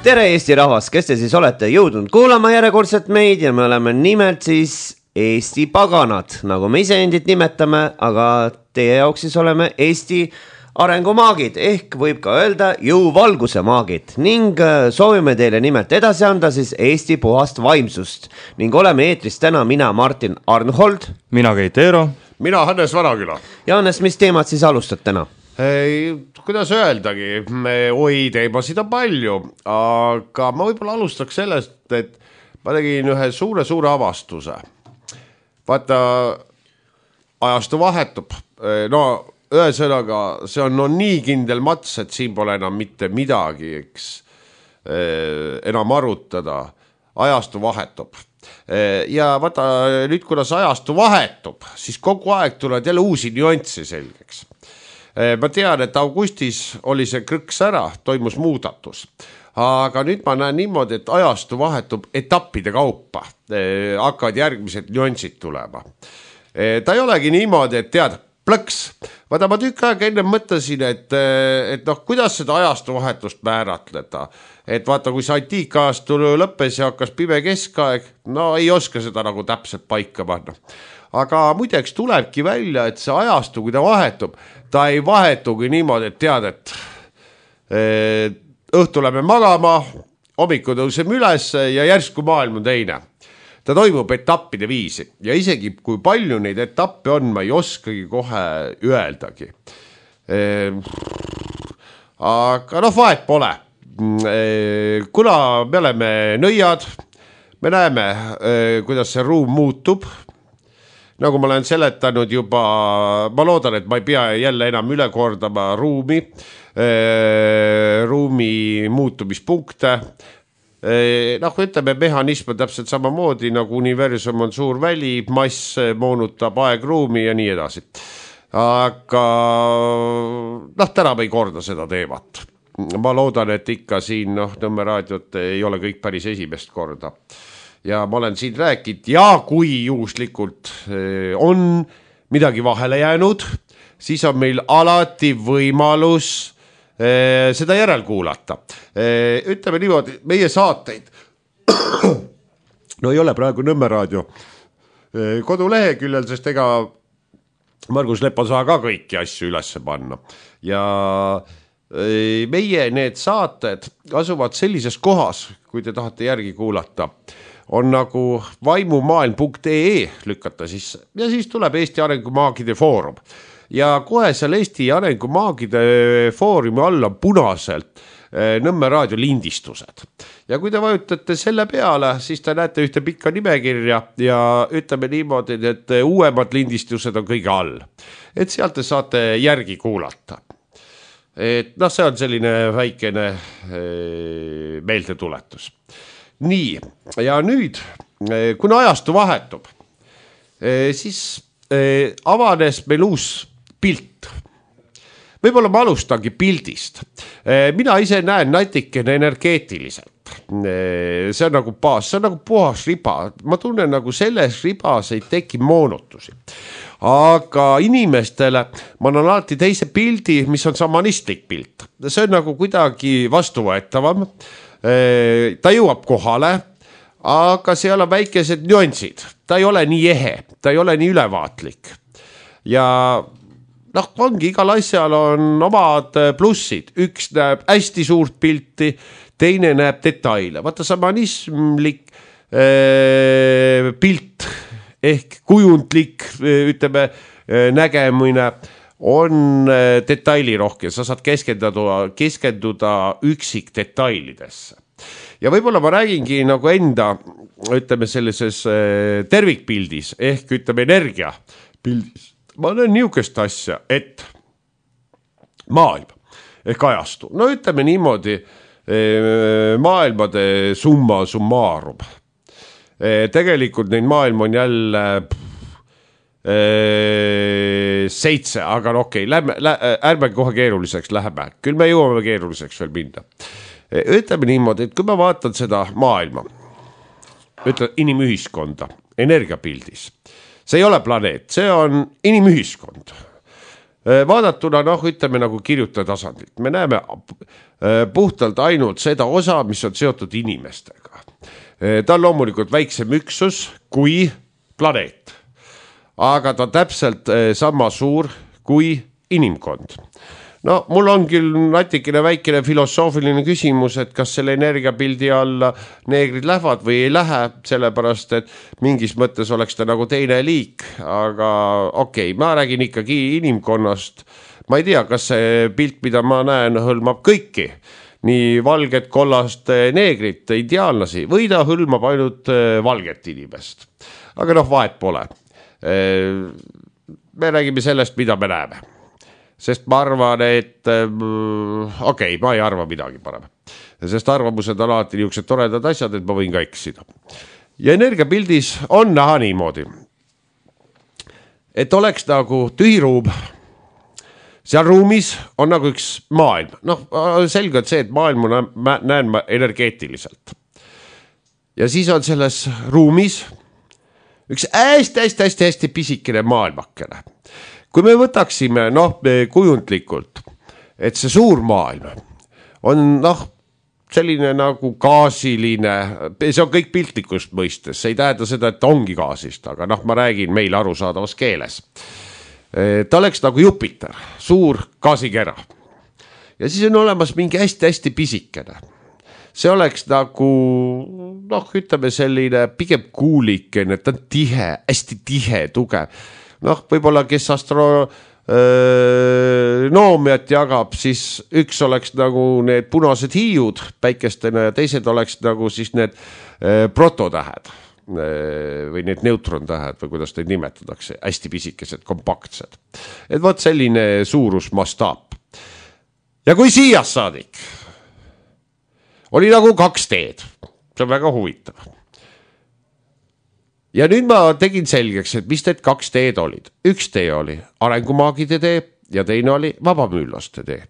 Tere Eesti rahvas, kes te siis olete jõudnud kuulama järjekordselt meid ja me oleme nimelt siis Eesti paganad, nagu me ise endid nimetame, aga teie jaoks siis oleme Eesti arengumaagid ehk võib ka öelda jõuvalguse maagid ning soovime teile nimelt edasi anda siis Eesti puhast vaimsust ning oleme eetris täna mina Martin Arnhold, mina Keit Eero, mina Hannes Vanaküla. Ja Hannes, mis teemad siis alustad täna? Kuidas öeldagi, teemasid on palju, aga ma võib-olla alustaks sellest, et ma tegin ühe suure avastuse. Vaata, ajastu vahetub, no ühesõnaga, see on nii kindel mats, et siin pole enam mitte midagi, eks, enam arutada, ajastu vahetub. Ja vaata, nüüd kuidas ajastu vahetub, siis kogu aeg tulevad jälle uusi nüanssi selgeks. Ma tean, et augustis oli see krõks ära, toimus muudatus. Aga nüüd ma näen niimoodi, et ajastu vahetub etappide kaupa. Hakkavad järgmised nüansid tulema. Ta ei olegi niimoodi, et tead, plõks. Vaata, ma tükk aega enne mõtlesin, et kuidas seda ajastu vahetust määratleda. Et vaata, kui see antiikajastu lõppes ja hakkas pime keskaeg, no ei oska seda nagu täpselt paika panna. Aga muideks tulebki välja, et see ajastu, kui ta vahetub, ta ei vahetugi niimoodi, et tead, et õhtu läheme magama, hommiku tõuseme üles ja järsku maailm on teine. Ta toimub etappide viisi ja isegi kui palju neid etappe on, ma ei oskagi kohe öeldagi. Aga vahet pole. Kuna me oleme nõiad, me näeme, kuidas see ruum muutub. Nagu ma olen seletanud juba, ma loodan, et ma ei pea jälle enam üle kordama ruumi muutumispunkte. Ütleme, mehhanism on täpselt samamoodi, nagu universum on suur väli, mass moonutab aegruumi ja nii edasi. Aga täna me ei korda seda teemat. Ma loodan, et ikka siin Nõmme raadiot ei ole kõik päris esimest korda. Ja ma olen siin rääkinud ja kui juhuslikult on midagi vahele jäänud, siis on meil alati võimalus seda järelkuulata. Ütleme niimoodi, meie saateid no ei ole praegu Nõmme raadio koduleheküljel, sest ega Margus Lepa saa ka kõiki asju üles panna. Ja meie need saated asuvad sellises kohas, kui te tahate järgi kuulata, on nagu vaimumaailm.ee lükata sisse ja siis tuleb Eesti Arengumaagide Foorum. Ja kohe seal Eesti Arengumaagide Foorumi all on punaselt Nõmme raadio lindistused. Ja kui te vajutate selle peale, siis te näete ühte pikka nimekirja ja ütleme niimoodi, et uuemad lindistused on kõige all. Et sealt te saate järgi kuulata. Et see on selline väikene meeldetuletus. Nii, ja nüüd, kuna ajastu vahetub, siis avanes meil uus pilt. Võib-olla ma alustangi pildist. Mina ise näen natikene energeetiliselt. See on nagu baas, see on nagu puhas riba. Ma tunnen nagu selles ribas ei teki moonutusi. Aga inimestele ma annan alati teise pildi, mis on samanistlik pilt. See on nagu kuidagi vastuvõetavam. Ta jõuab kohale, aga seal on väikesed nüansid. Ta ei ole nii ehe, ta ei ole nii ülevaatlik. Ja ongi igal asjal on omad plussid. Üks näeb hästi suurt pilti, teine näeb detaile. Vaata samanismlik pilt ehk kujundlik, ütleme, nägemine on detailirohke, sa saad keskenduda üksik detailidesse. Ja võib-olla ma räägingi nagu enda, ütleme sellises tervikpildis ehk ütleme energiapildis. Ma olen niisugust asja, et maailm ehk ajastu. No ütleme niimoodi maailmade summa summarum. Tegelikult neid maailm on jälle 7, aga okei, ärme kohe keeruliseks läheme. Küll me jõuame keeruliseks veel minna. Ütleme niimoodi, et kui ma vaatan seda maailma, ütleme inimühiskonda, energiapildis, see ei ole planeet, see on inimühiskond. vaadatuna, ütleme nagu kirjutaja tasandilt. Me näeme puhtalt ainult seda osa, mis on seotud inimestega. Ta on loomulikult väiksem üksus kui planeet, aga ta on täpselt sama suur kui inimkond. No mul on küll natikene väikene filosoofiline küsimus, et kas selle energiapildi alla neegrid lähevad või ei lähe, sellepärast, et mingis mõttes oleks ta nagu teine liik, aga okei, ma räägin ikkagi inimkonnast. Ma ei tea, kas see pilt, mida ma näen, hõlmab kõiki, nii valget, kollast neegrit, indiaanlasi, või ta hõlmab ainult valget inimest. Aga vahet pole. Me räägime sellest, mida me näeme. Sest ma arvan, et ma ei arva midagi parem. Sest arvamused on alati niisugused toredad asjad, et ma võin ka eksida. Ja energiapildis on näha niimoodi, et oleks nagu tühiruum. Seal ruumis on nagu üks maailm. Selge on see, et maailma näen ma energeetiliselt. Ja siis on selles ruumis üks hästi pisikene maailmakene. Kui me võtaksime kujundlikult, et see suur maailm on selline nagu gaasiline, see on kõik piltlikust mõistes, see ei tähenda seda, et ongi gaasist, aga ma räägin meil arusaadavas keeles. Ta oleks nagu Jupiter, suur gaasikera. Ja siis on olemas mingi hästi pisikene. See oleks nagu, ütleme selline pigem kuulikene, ta on tihe, hästi tihe, tugev. Võib-olla kes astronoomiat jagab, siis üks oleks nagu need punased hiiud päikestena ja teised oleks nagu siis need prototähed või need neutrontähed või kuidas neid nimetatakse, hästi pisikesed, kompaktsed. Et võt selline suurus mastaap. Ja kui siia saadik oli nagu 2 teed, see on väga huvitav. Ja nüüd ma tegin selgeks, et mis need 2 teed olid. Üks tee oli arengumaagide tee ja teine oli vabamüülaste tee.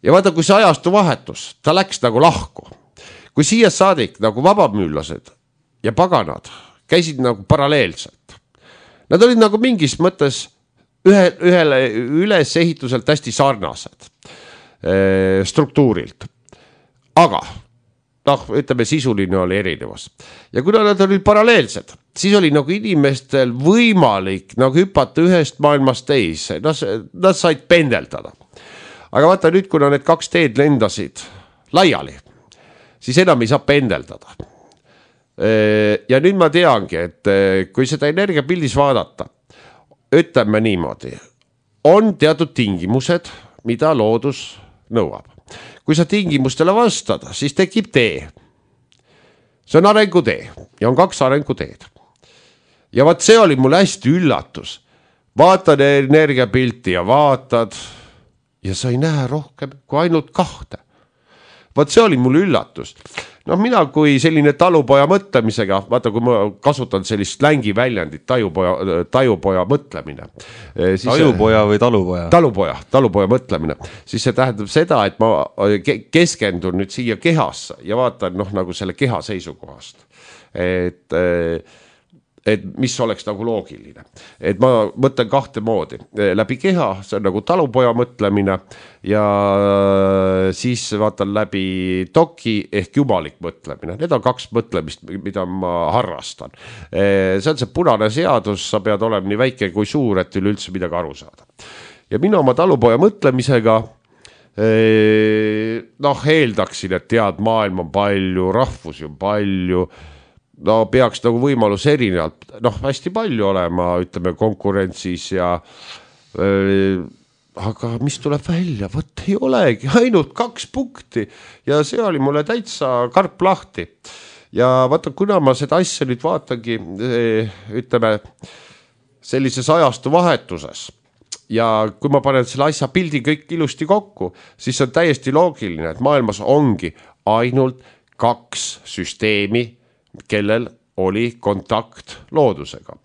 Ja vaata, kui see ajastu vahetus, ta läks nagu lahku. Kui siia saadik nagu vabamüülased ja paganad käisid nagu paralleelselt. Nad olid nagu mingis mõttes ühele ülesehituselt hästi sarnased struktuurilt. Aga ütleme, sisuline oli erinevus. Ja kuna nad olid paralleelsed, siis oli nagu inimestel võimalik nagu hüpata ühest maailmast teise. Nad said pendeldada. Aga vaata nüüd, kuna need 2 teed lendasid laiali, siis enam ei saa pendeldada. Ja nüüd ma teangi, et kui seda energiapildis vaadata, ütleme niimoodi, on teatud tingimused, mida loodus nõuab. Kui sa tingimustele vastada, siis tekib tee. See on arengutee ja on 2 arenguteed. Ja vaat see oli mul hästi üllatus. Vaatad energiapilti ja vaatad ja sa ei näe rohkem kui ainult 2. Vaat see oli mul üllatus. Mina kui selline talupoja mõtlemisega, vaata kui ma kasutan sellist slängi väljendit, tajupoja mõtlemine. Tajupoja või talupoja? Talupoja mõtlemine. Siis see tähendab seda, et ma keskendun nüüd siia kehasse ja vaatan nagu selle keha seisukohast. Et mis oleks nagu loogiline. Et ma mõtlen 2 moodi. Läbi keha, see on nagu talupoja mõtlemine ja siis vaatan läbi toki ehk jumalik mõtlemine. Need on 2 mõtlemist, mida ma harrastan. See on see punane seadus, sa pead olema nii väike kui suur, et üleüldse midagi aru saada. Ja mina oma talupoja mõtlemisega eeldaksin, et tead, maailm on palju, rahvusi on palju, peaks nagu võimalus erinevalt, hästi palju olema, ütleme, konkurentsis ja aga mis tuleb välja, võt ei olegi, ainult 2 punkti ja see oli mulle täitsa karp lahti. Ja vaata, kuna ma seda asja nüüd vaatangi, ütleme, sellises ajastu vahetuses ja kui ma panen selle asja pildi kõik ilusti kokku, siis on täiesti loogiline, et maailmas ongi ainult 2 süsteemi, kellel oli kontakt loodusega.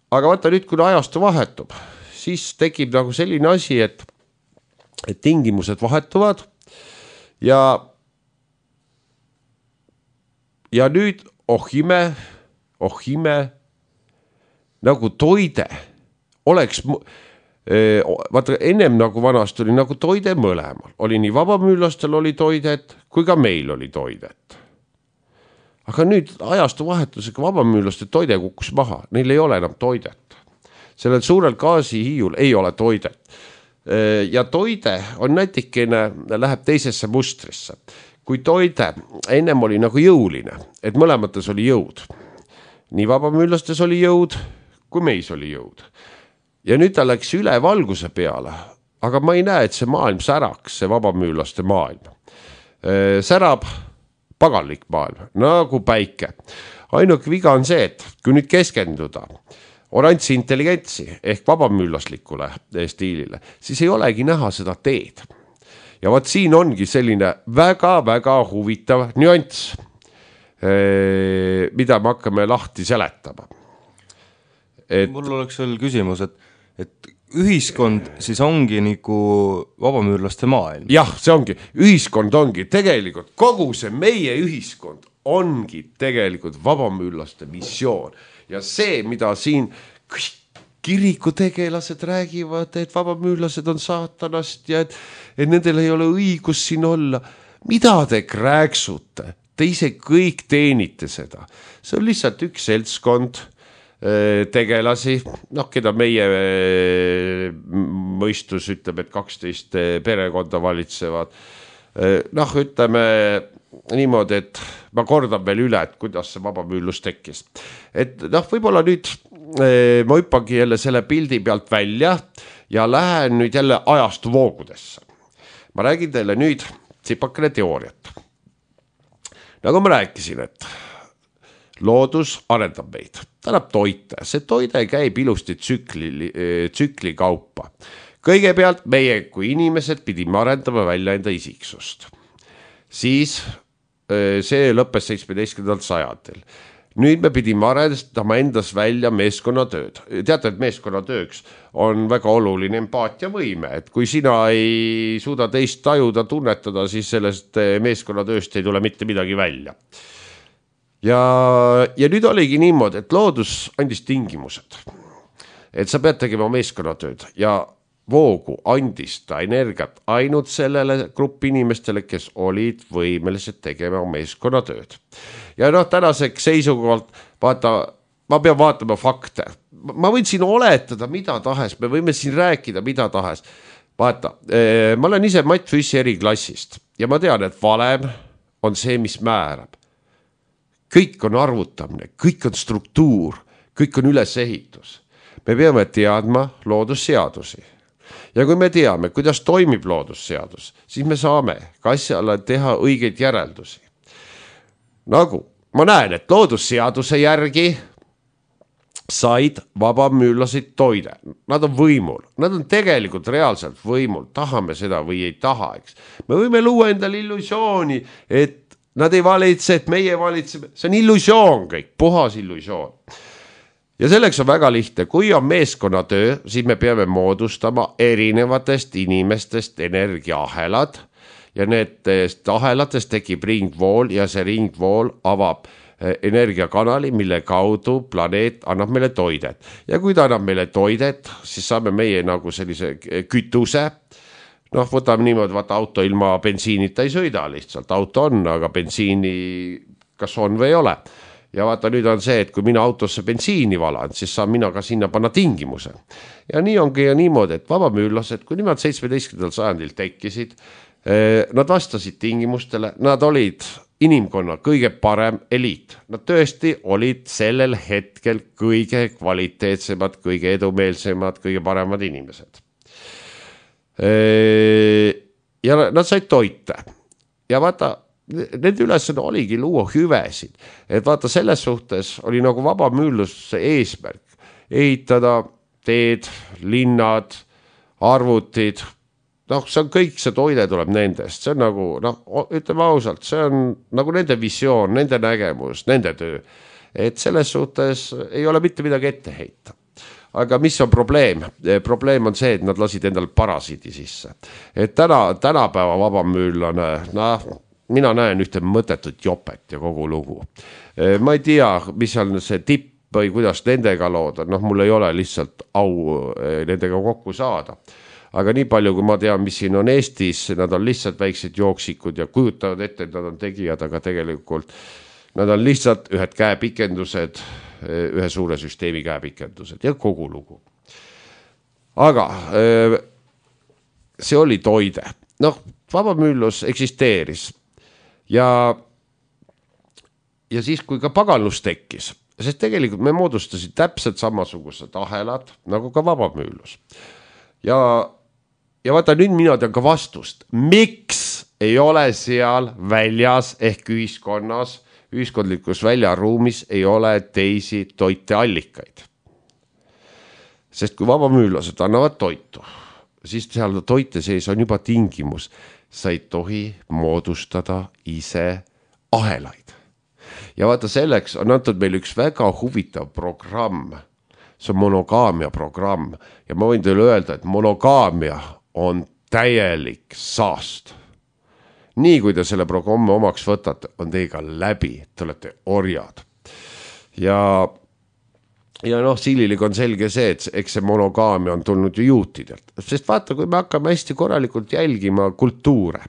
Aga vaata nüüd, kui ajastu vahetub, siis tekib nagu selline asi, et tingimused vahetuvad ja nüüd ohime nagu toide oleks, vaata ennem nagu vanast oli nagu toide mõlemal, oli nii vabamüürlastel oli toidet, kui ka meil oli toidet. Aga nüüd ajastu vahetusega vabamüürlaste toide kukkus maha, neil ei ole enam toidet. Sellel suurel gaasihiiul ei ole toidet. Ja toide on nätikene, läheb teisesse mustrisse. Kui toide ennem oli nagu jõuline, et mõlemates oli jõud. Nii vabamüürlastes oli jõud, kui meis oli jõud. Ja nüüd ta läks üle valguse peale, aga ma ei näe, et see maailm säraks, see vabamüürlaste maailm. Särab paganlik maailm, nagu päike. Ainuke viga on see, et kui nüüd keskenduda oranži intelligentsi ehk vabamüürlaslikule stiilile, siis ei olegi näha seda teed. Ja vaat siin ongi selline väga-väga huvitav nüanss, mida me hakkame lahti seletama. Mul oleks veel küsimus, et ühiskond siis ongi nagu vabamüürlaste maailm. Jah, see ongi, ühiskond ongi tegelikult, kogu see meie ühiskond ongi tegelikult vabamüürlaste missioon. Ja see, mida siin kirikutegelased räägivad, et vabamüürlased on saatanast ja et nendel ei ole õigus siin olla. Mida te krääksute? Te ise kõik teenite seda. See on lihtsalt üks seltskond tegelasi, keda meie mõistus ütleb, et 12 perekonda valitsevad. Ütleme niimoodi, et ma kordan veel üle, et kuidas see vabamüürlus tekkis. Et võib-olla nüüd ma hüppangi jälle selle pildi pealt välja ja lähen nüüd jälle ajastu voogudesse. Ma räägin teile nüüd tsipakene teooriat. Nagu ma rääkisin, et loodus arendab meid. Ta annab toite. See toide käib ilusti tsükli kaupa. Kõigepealt meie kui inimesed pidime arendama välja enda isiksust. Siis see lõppes 17. sajandil. Nüüd me pidime arendama endas välja meeskonnatööd. Teate, et meeskonnatööks on väga oluline empaatiavõime, et kui sina ei suuda teist tajuda, tunnetada, siis sellest meeskonnatööst ei tule mitte midagi välja. Ja nüüd oligi niimoodi, et loodus andis tingimused, et sa pead tegema meeskonnatööd ja voogu andis ta energiat ainult sellele gruppi inimestele, kes olid võimelised tegema meeskonnatööd. Ja tänaseks seisukohalt, vaata, ma pean vaatama fakte. Ma võin siin oletada mida tahes, me võime siin rääkida mida tahes. Vaata, ma olen ise Matt Füssi eriklassist ja ma tean, et valem on see, mis määrab. Kõik on arvutamine, kõik on struktuur, kõik on ülesehitus. Me peame teadma loodusseadusi. Ja kui me teame, kuidas toimib loodusseadus, siis me saame ka asjale teha õigeid järeldusi. Nagu ma näen, et loodusseaduse järgi said vabamüürlased toide. Nad on võimul. Nad on tegelikult reaalselt võimul. Tahame seda või ei taha, eks. Me võime luua endale illusiooni, et nad ei valitse, et meie valitseme. See on illusioon kõik, puhas illusioon. Ja selleks on väga lihtne. Kui on meeskonnatöö, siis me peame moodustama erinevatest inimestest energiaahelad ja nendest ahelatest tekib ringvool ja see ringvool avab energiakanali, mille kaudu planeet annab meile toidet. Ja kui ta annab meile toidet, siis saame meie nagu sellise kütuse. Võtame niimoodi, vaata auto ilma bensiinita ei sõida lihtsalt. Auto on, aga bensiini kas on või ei ole. Ja vaata nüüd on see, et kui mina autosse bensiini valan, siis saan mina ka sinna panna tingimuse. Ja nii ongi ja niimoodi, et vabamüürlased, kui nimelt 17. sajandil tekkisid, nad vastasid tingimustele, nad olid inimkonna kõige parem eliit. Nad tõesti olid sellel hetkel kõige kvaliteetsemad, kõige edumeelsemad, kõige paremad inimesed. Ja nad said toite. Ja vaata, nende ülesanne oligi luua hüvesid. Et vaata, selles suhtes oli nagu vabamüürluse eesmärk. Ehitada teed, linnad, arvutid. See on kõik, see toide tuleb nendest. See on nagu, ütleme ausalt, see on nagu nende visioon, nende nägemus, nende töö. Et selles suhtes ei ole mitte midagi ette heita. Aga mis on probleem? Probleem on see, et nad lasid endal parasiidi sisse. Et tänapäeva vabamüürlane, mina näen ühte mõttetut jopet ja kogu lugu. Ma ei tea, mis on see tipp või kuidas nendega lood on, noh, mul ei ole lihtsalt au nendega kokku saada. Aga nii palju, kui ma tean, mis siin on Eestis, nad on lihtsalt väiksed jooksikud ja kujutavad ette, et nad on tegijad, aga tegelikult nad on lihtsalt ühed käepikendused, ühe suure süsteemi käepikendused ja kogu lugu. Aga see oli toide. Noh, vabamüüllus eksisteeris ja siis, kui ka paganlus tekkis, sest tegelikult me moodustasid täpselt samasugused ahelad, nagu ka vabamüüllus. Ja vaata, nüüd mina tean ka vastust, miks ei ole seal väljas ehk ühiskonnas, ühiskondlikus väljaruumis ei ole teisi toiteallikaid. Sest kui vabamüüllased annavad toitu, siis seal toite sees on juba tingimus, sa ei tohi moodustada ise ahelaid. Ja vaata, selleks on antud meil üks väga huvitav programm, see on monogaamia programm ja ma võin teile öelda, et monogaamia on täielik saast. Nii kui te selle programmi omaks võtate, on teiega läbi, te olete orjad. Ja noh, Sililik on selge see, et eks see monogaamia on tulnud ju juutidelt. Sest vaata, kui me hakkame hästi korralikult jälgima kultuure,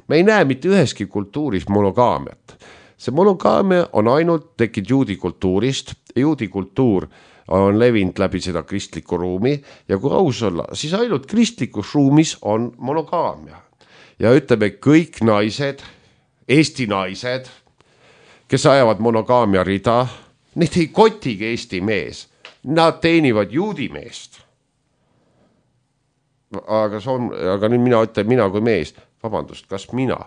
me ei näe mitte üheski kultuuris monogaamiat. See monogaamia on ainult tekkinud juudi kultuurist. Juudi kultuur on levinud läbi seda kristlikku ruumi ja kui aus olla, siis ainult kristlikus ruumis on monogaamia. Ja ütleme, kõik naised, Eesti naised, kes ajavad monogaamia rida, neid ei kotigi Eesti mees. Nad teenivad juudi meest. Aga nüüd mina ütlen, mina kui mees, vabandust, kas mina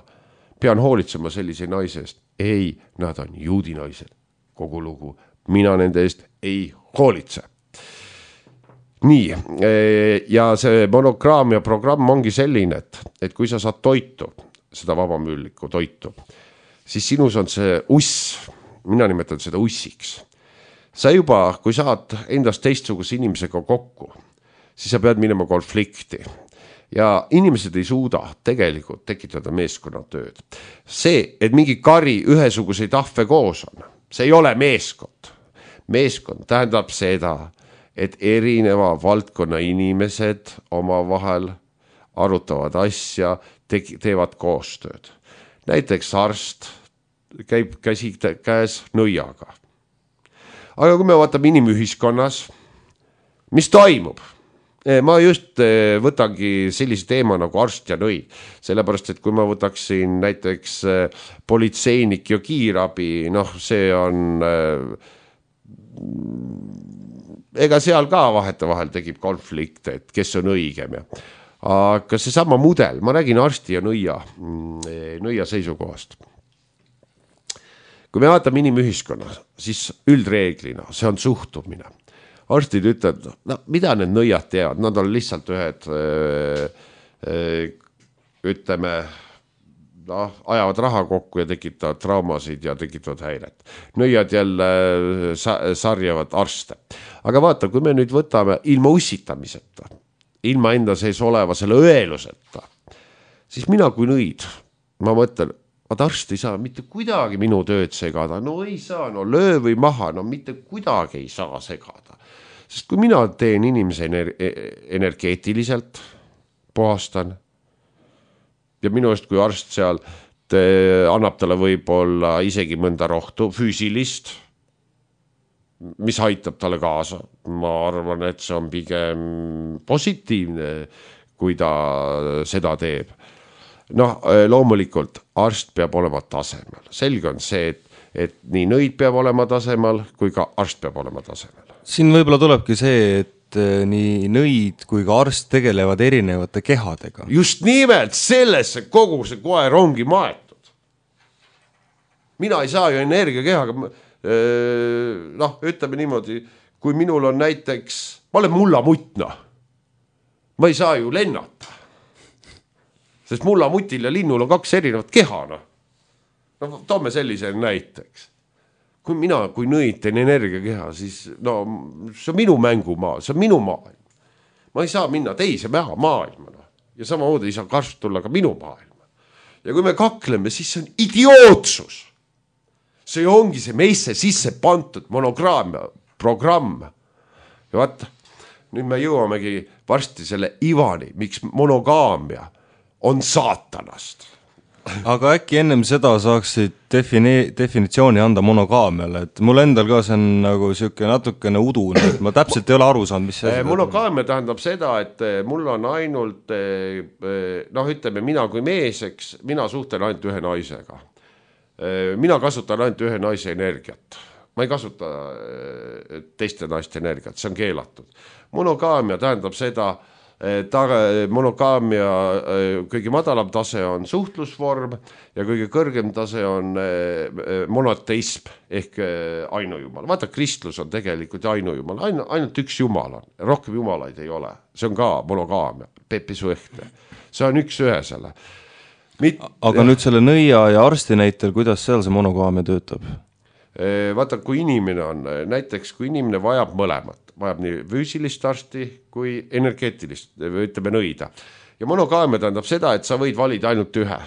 pean hoolitsema sellise naise eest? Ei, nad on juudi naised. Kogu lugu. Mina nende eest ei hoolitse. Nii, ja see monogaamia programm ongi selline, et kui sa saad toitu, seda vabamüüllikku toitu, siis sinus on see uss, mina nimetan seda ussiks. Sa juba, kui saad endast teistsuguse inimesega kokku, siis sa pead minema konflikti. Ja inimesed ei suuda tegelikult tekitada meeskonnatööd. See, et mingi kari ühesuguseid ahve koos on, see ei ole meeskond. Meeskond tähendab seda, et erineva valdkonna inimesed omavahel arutavad asja, teevad koostööd. Näiteks arst käib käsi käes nõiaga. Aga kui me vaatame inimühiskonnas, mis toimub? Ma just võtangi sellise teema nagu arst ja nõi, sellepärast, et kui ma võtaksin näiteks politseinik ja kiirabi, noh, see on, ega seal ka vahetevahel tekib konflikt, et kes on õigem. Aga see sama mudel, ma räägin arsti ja nõia seisukohast. Kui me vaatame inimühiskonnas, siis üldreeglina, see on suhtumine. Arstid ütlevad, no, mida need nõiad teevad, nad on lihtsalt ühed, ütleme, ajavad raha kokku ja tekitavad traumasid ja tekitavad häiret. Nõiad jälle sarjavad arste. Aga vaata, kui me nüüd võtame ilma ussitamiseta, ilma enda sees oleva selle õeluseta, siis mina kui nõid, ma mõtlen, et arst ei saa mitte kuidagi minu tööd segada, no ei saa, no löö või maha, no mitte kuidagi ei saa segada. Sest kui mina teen inimese energeetiliselt, puhastan ja minu eest kui arst seal annab talle võib-olla isegi mõnda rohtu füüsilist, mis aitab talle kaasa. Ma arvan, et see on pigem positiivne, kui ta seda teeb. Noh, loomulikult arst peab olema tasemel. Selge on see, et nii nõid peab olema tasemel, kui ka arst peab olema tasemel. Siin võib-olla tulebki see, et nii nõid kui ka arst tegelevad erinevate kehadega. Just nimelt sellesse kogu see koer ongi maetud. Mina ei saa ju energiakehaga, noh, ütleme niimoodi, kui minul on näiteks, ma olen mullamutna, ma ei saa ju lennata. Sest mullamutil ja linnul on kaks erinevat keha. No, toome sellise näiteks. Kui mina, kui nõid teen energiakeha, siis no, see on minu mängumaa, see on minu maailm. Ma ei saa minna teise maailma. Ja samamoodi ei saa karst tulla ka minu maailma. Ja kui me kakleme, siis see on idiootsus. See ongi see meisse sisse pantud monograamia programm. Ja vaata, nüüd me jõuamegi varsti selle ivani, miks monogaamia on saatanast. Aga äkki ennem seda saaksid definitsiooni anda monogaamiale, et mul endal ka see on nagu siuke natukene udune, et ma täpselt ei ole aru saanud, mis see monogaamia tähendab seda, et mul on ainult ütleme, mina kui mees, eks, mina suhtlen ainult ühe naisega. Mina kasutan ainult ühe naise energiat. Ma ei kasuta teiste naiste energiat, see on keelatud. Monogaamia tähendab seda, monogaamia kõige madalam tase on suhtlusvorm ja kõige kõrgem tase on monoteism ehk ainujumal. Vaata, kristlus on tegelikult ainujumal, ainult üks jumal on, rohkem jumalaid ei ole. See on ka monogaamia, pepisuehte. See on üks ühesele. Aga nüüd selle nõia ja arsti näitel, kuidas seal see monogaamia töötab? Vaata, kui inimene on, näiteks kui inimene vajab mõlemat, vajab nii füüsilist arsti kui energeetilist, ütleme nõida. Ja monogaamia tähendab seda, et sa võid valida ainult ühe.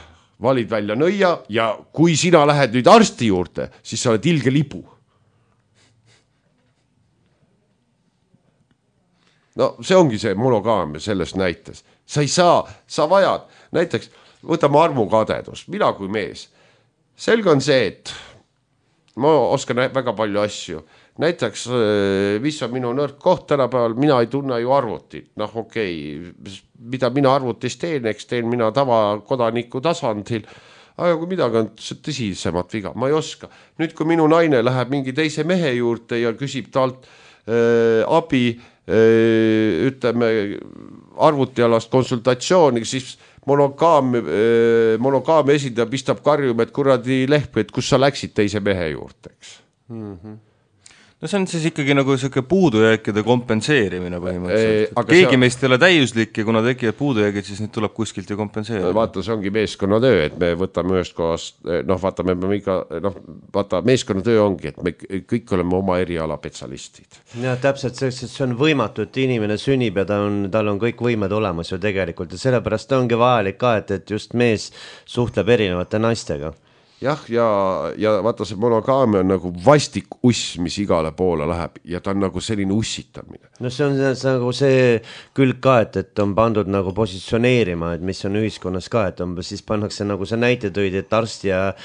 Valid välja nõia ja kui sina lähed nüüd arsti juurde, siis sa oled ilge libu. No see ongi see monogaamia selles näites. Sa ei saa, sa vajad, näiteks võtame armukadedust, mina kui mees. Selge on see, et ma oskan väga palju asju. Näiteks, mis on minu nõrk koht tänapäeval, mina ei tunne ju arvutit. Mida mina arvutis teen, eks teen mina tavakodaniku tasandil. Aga kui midagi on tõsisemat viga, ma ei oska. Nüüd, kui minu naine läheb mingi teise mehe juurde ja küsib talt abi, ütleme, arvutialast konsultatsiooni, siis monogaamia esindaja pistab karjuma, et kuradi lehp, et kus sa läksid teise mehe juurde, eks. No see on siis ikkagi nagu selline puudujääkide kompenseerimine põhimõtteliselt. Keegi meist ei ole täiuslik ja kuna tekivad puudujäägid, siis nüüd tuleb kuskilt ju kompenseerida. Vaata, see ongi meeskonnatöö, et me võtame ühest kohast, meeskonnatöö ongi, et me kõik oleme oma eriala spetsialistid. Ja täpselt selleks, et see on võimatu, et inimene sünnib ja tal on kõik võimed olemas ju tegelikult ja sellepärast ongi vajalik ka, et just mees suhtleb erinevate naistega. Jah, ja vaata see monogaamia on nagu vastik uss, mis igale poole läheb ja ta on nagu selline ussitamine. No see on nagu see külg ka, et on pandud nagu positsioneerima, et mis on ühiskonnas ka, et siis pannakse nagu see näite tõid, et arst ja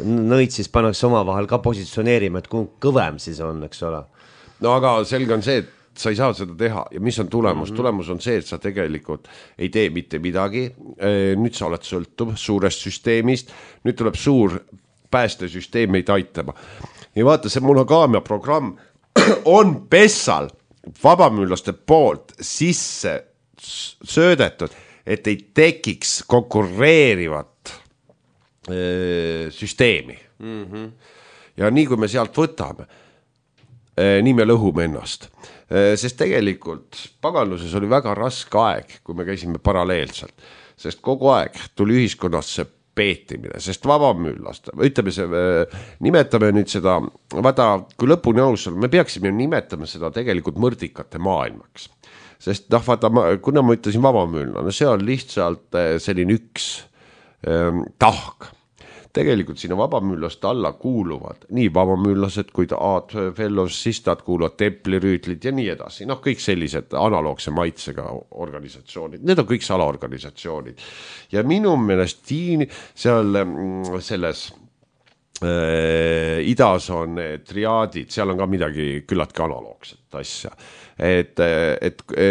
nõid siis pannakse oma vahel ka positsioneerima, et kui kõvem siis on, eks ole. No aga selge on see, et sa ei saa seda teha ja mis on tulemus? Tulemus on see, et sa tegelikult ei tee mitte midagi, nüüd sa oled sõltuv suurest süsteemist, nüüd tuleb suur päästesüsteem meid aitama. Ja vaata, see monogaamia programm on pessal vabamüürlaste poolt sisse söödetud, et ei tekiks konkureerivat süsteemi. Ja nii kui me sealt võtame, nii me lõhume ennast. Sest tegelikult paganluses oli väga raske aeg, kui me käisime paralleelselt, sest kogu aeg tuli ühiskonnas see peetimine, sest vabamüürlast, ütleme see, nimetame nüüd seda, vaata, kui lõpuni aus on, me peaksime nimetama seda tegelikult mõrdikate maailmaks, sest vaata, kuna ma ütlesin vabamüürlane, see on lihtsalt selline üks tahk. Tegelikult sinna vabamüürlaste alla kuuluvad nii vabamüürlased kui fellows, sistad kuuluvad templirüütlid ja nii edasi. Noh, kõik sellised analoogse maitsega organisatsioonid. Need on kõik salaorganisatsioonid. Ja minu meelest seal selles idas on triaadid, seal on ka midagi küllaltki analoogset asja. Et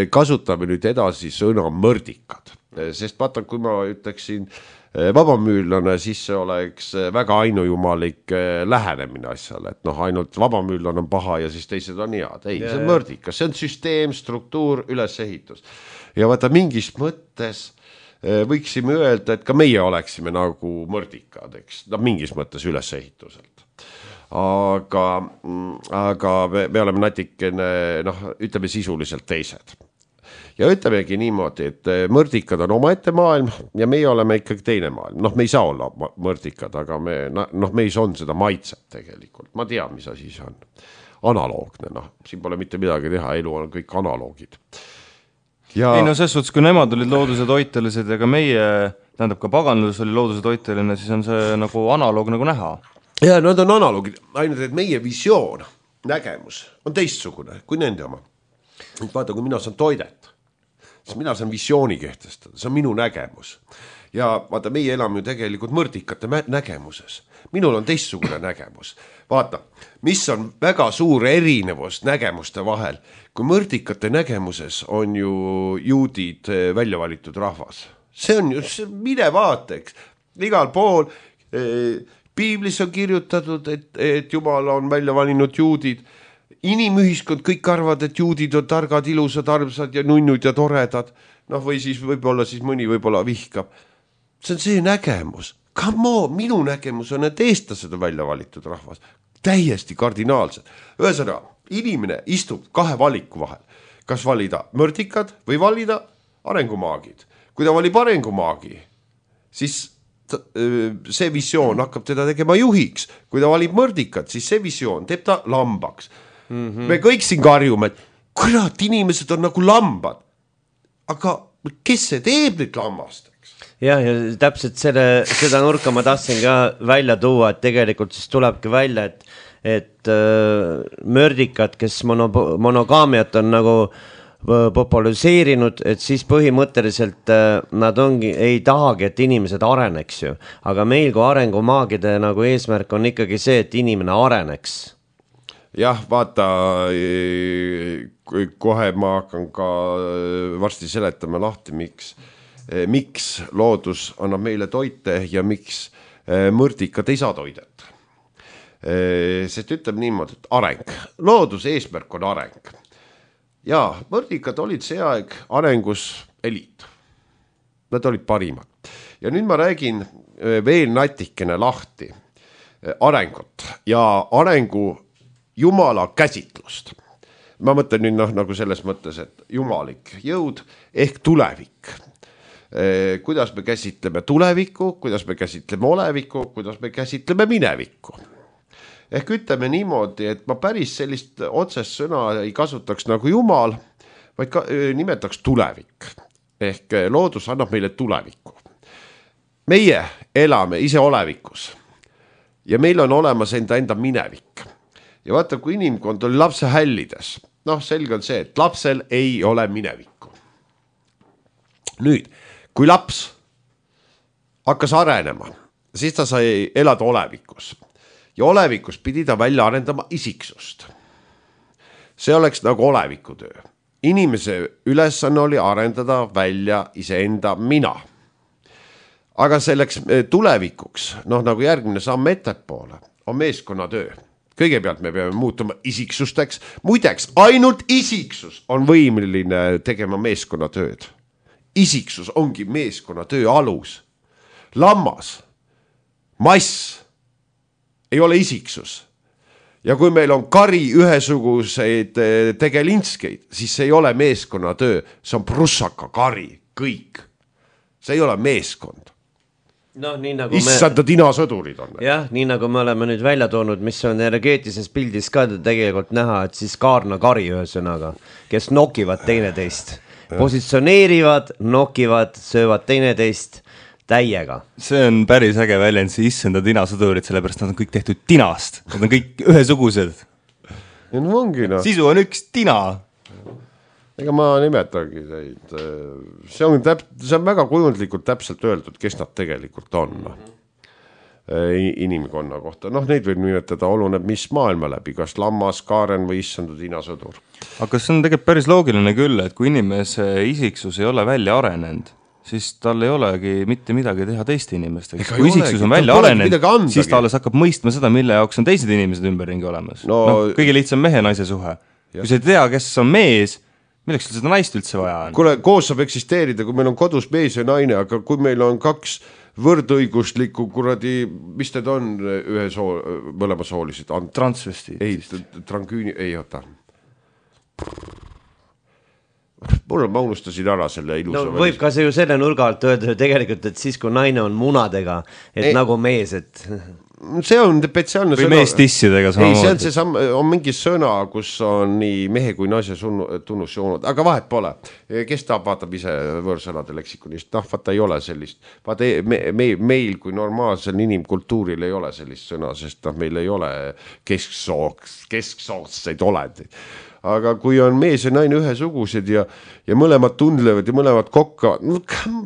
kasutame nüüd edasi sõna mõrdikad. Sest vaata, kui ma ütleksin vabamüürlane, siis see oleks väga ainujumalik lähenemine asjale, et ainult vabamüürlane on paha ja siis teised on head. Ei, see on mõrdikas, see on süsteem, struktuur, ülesehitus. Ja vaata, mingis mõttes võiksime öelda, et ka meie oleksime nagu mõrdikad, eks, mingis mõttes ülesehituselt. Aga me oleme natikene, ütleme sisuliselt teised. Ja ütlemegi niimoodi, et mõrdikad on omaette maailm ja meie oleme ikkagi teine maailm. Me ei saa olla mõrdikad, aga meis on seda maitset tegelikult. Ma tean, mis asi see on. Analoogne, siin pole mitte midagi teha, elu on kõik analoogid. Ja... Ei ses suhtes, kui nemad olid looduse toitelised ja ka meie, tähendab ka paganlus oli looduse toiteline, siis on see nagu analoog nagu näha. Ja nad on analoogid, ainult et meie visioon nägemus on teistsugune kui nende oma. Vaata, kui mina saan toidet, siis mina saan visiooni kehtestada, see on minu nägemus. Ja vaata, meie elame ju tegelikult mõrdikate nägemuses. Minul on teistsugune nägemus. Vaata, mis on väga suur erinevus nägemuste vahel. Kui mõrdikate nägemuses on ju juudid välja valitud rahvas. See on ju, mine vaateks. Igal pool piiblis on kirjutatud, et Jumal on välja valinud juudid. Inimühiskond kõik arvad, et juudid on targad, ilusad, armsad ja nunnud ja toredad. Noh, või siis võib-olla siis mõni võib-olla vihkab. See on see nägemus. Come on, minu nägemus on, et eestlased on välja valitud rahvas. Täiesti kardinaalsed. Ühesõnaga, inimene istub kahe valiku vahel. Kas valida mõrdikad või valida arengumaagid. Kui ta valib arengumaagi, siis see visioon hakkab teda tegema juhiks. Kui ta valib mõrdikad, siis see visioon teeb ta lambaks. Me kõik siin karjume, et kurat, inimesed on nagu lambad. Aga kes see teeb nüüd lambasteks? Ja täpselt seda nurka ma tahtsin ka välja tuua, et tegelikult siis tulebki välja, et mördikad, kes monogaamiat on nagu populariseerinud, et siis põhimõtteliselt nad ei tahagi, et inimesed areneks ju. Aga meil kui arengumaagide nagu eesmärk on ikkagi see, et inimene areneks. Jah, vaata, kohe ma hakkan ka varsti seletama lahti, miks loodus annab meile toite ja miks mõrdikad ei saa toidet. Sest ütleb niimoodi, et areng. Looduse eesmärk on areng. Ja mõrdikad olid see aeg arengus eliit. Nad olid parimad. Ja nüüd ma räägin veel natikene lahti arengut ja arengu Jumala käsitlust. Ma mõtlen nüüd nagu selles mõttes, et jumalik jõud ehk tulevik. Kuidas me käsitleme tulevikku, kuidas me käsitleme olevikku, kuidas me käsitleme minevikku. Ehk ütleme niimoodi, et ma päris sellist otsest sõna ei kasutaks nagu Jumal, vaid nimetaks tulevik. Ehk loodus annab meile tulevikku. Meie elame ise olevikus ja meil on olemas enda minevik. Ja vaata, kui inimkond oli lapse hällides, selge on see, et lapsel ei ole minevikku. Nüüd, kui laps hakkas arenema, siis ta sai elada olevikus. Ja olevikus pidi ta välja arendama isiksust. See oleks nagu olevikutöö. Inimese ülesanne oli arendada välja iseenda mina. Aga selleks tulevikuks, nagu järgmine samm ettepoole, on meeskonnatöö. Kõigepealt me peame muutuma isiksusteks. Muideks, ainult isiksus on võimeline tegema meeskonnatööd. Isiksus ongi meeskonnatöö alus. Lammas, mass ei ole isiksus. Ja kui meil on kari ühesuguseid tegelinskeid, siis see ei ole meeskonnatöö. See on prussaka kari, kõik. See ei ole meeskond. Issanda tinasõdurid on. Jah, nii nagu me oleme nüüd välja toonud, mis on energeetilises pildis ka tegelikult näha, et siis kaarna kari ühesõnaga, kes nokivad teineteist. Positsioneerivad, nokivad, söövad teineteist täiega. See on päris äge väljend, see issanda tinasõdurid, sellepärast nad on kõik tehtud tinast. Nad on kõik ühesugused. Ja ongi, Sisu on üks tina. Ega ma nimetagi teid. See on väga kujundlikult täpselt öeldud, kes nad tegelikult on inimkonna kohta. Neid võib nimetada oluneb mis maailma läbi, kas lammas, kaaren või issanda tinasõdur. Aga see on tegelikult päris loogiline küll, et kui inimese isiksus ei ole välja arenenud, siis tal ei olegi mitte midagi teha teiste inimestega. Kui isiksus on välja arenenud, siis ta alles hakkab mõistma seda, mille jaoks on teised inimesed ümberringi olemas. Kõige lihtsam mehe-naise suhe. Kui sa ei tea, kes on mees, milleks seda naist üldse vaja on? Kuule, koos saab eksisteerida, kui meil on kodus mees ja naine, aga kui meil on kaks võrdõiguslikku kuradi, mis need on mõlema soolisid? Transvestiid. Ei, trangüüni, ei oota. Ma unustasin ära selle ilusa. Võib ka see ju selle nurga alt öelda tegelikult, et siis kui naine on munadega, et nagu mees, et... see on spetsiaalne või sõna. Mees tissidega samamoodi. Ei, see on mingi sõna, kus on nii mehe kui naise tunnusjoonud, aga vahet pole. Kes tahab, vaatab ise võõrsõnade leksikonist, vaata ei ole sellist. Vaata, meil kui normaalsel inimkultuuril ei ole sellist sõna, sest meil ei ole kesksootseid olendi. Aga kui on mees ja naine ühesugused ja mõlemad tundlevad ja mõlemad kokkavad,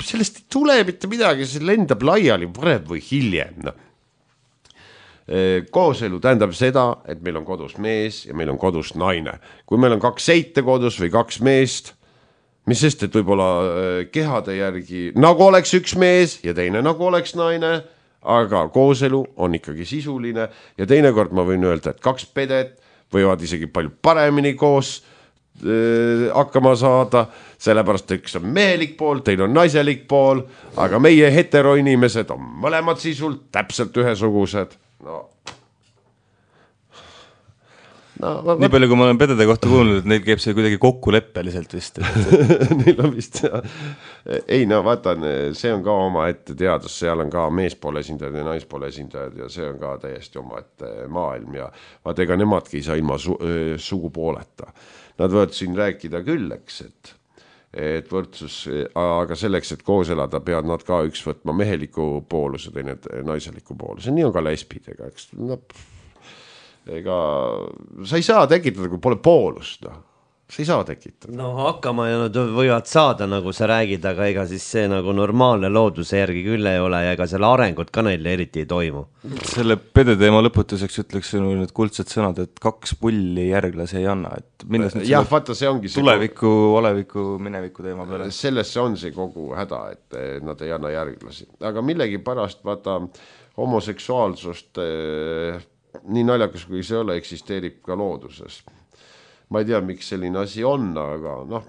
sellest ei tule mitte midagi, see lendab laiali varem või hiljem. Kooselu tähendab seda, et meil on kodus mees ja meil on kodus naine. Kui meil on 2 seite kodus või 2 meest, mis sest, et võib-olla kehade järgi nagu oleks üks mees ja teine nagu oleks naine, aga kooselu on ikkagi sisuline ja teinekord ma võin öelda, et 2 pedet võivad isegi palju paremini koos hakkama saada, sellepärast üks on mehelik pool, teine on naiselik pool, aga meie heteroinimesed on mõlemad sisult täpselt ühesugused. Nii palju, kui ma olen pedede kohta kuulnud, et neil käib see kuidagi kokkuleppeliselt vist. Neil on vist, ei vaatan, see on ka oma ette teadus, seal on ka meespoole esindajad ja naispoole esindajad ja see on ka täiesti oma ette maailm ja vaata, ega nemadki ei saa ilma sugupooleta. Nad võivad siin rääkida küll, eks, et võrdsus, aga selleks, et koos elada, peavad nad ka üks võtma meheliku pooluse, teine naiseliku pooluse. Nii on ka lesbidega, eks. Ega sa ei saa tekitada, kui pole poolust. Sa ei saa tekitada. No hakkama ja nad võivad saada, nagu sa räägid, aga ega siis see nagu normaalne looduse järgi küll ei ole ja ega selle arengut ka neil eriti ei toimu. Selle pedeteema lõputuseks ütleks need kuldsed sõnad, et 2 pulli järglase ei anna. Et jah, vaata, see ongi tuleviku, oleviku, mineviku teema peale. Sellesse on see kogu häda, et nad ei anna järglasi. Aga millegi pärast, vaata, homoseksuaalsust nii naljakas, kui see ole, eksisteerib ka looduses. Ma ei tea, miks selline asi on, aga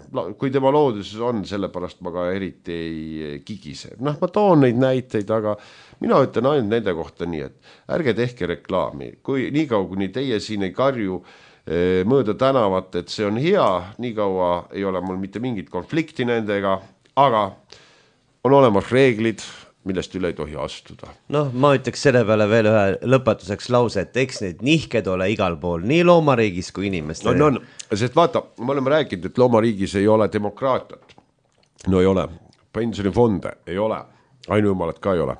kui tema looduses on, sellepärast ma ka eriti ei kigise. Ma toon neid näiteid, aga mina ütlen ainult nende kohta nii, et ärge tehke reklaami. Kui nii kaua, kuni teie siin ei karju mööda tänavat, et see on hea, nii kaua ei ole mul mitte mingit konflikti nendega, aga on olemas reeglid, millest üle ei tohi astuda. Ma ütleks selle peale veel ühe lõpetuseks lause, et eks need nihked ole igal pool, nii loomariigis kui inimestel. On, sest vaata, me oleme rääkinud, et loomariigis ei ole demokraatiat. No ei ole, pensionifonde ei ole, ainujumalat ka ei ole.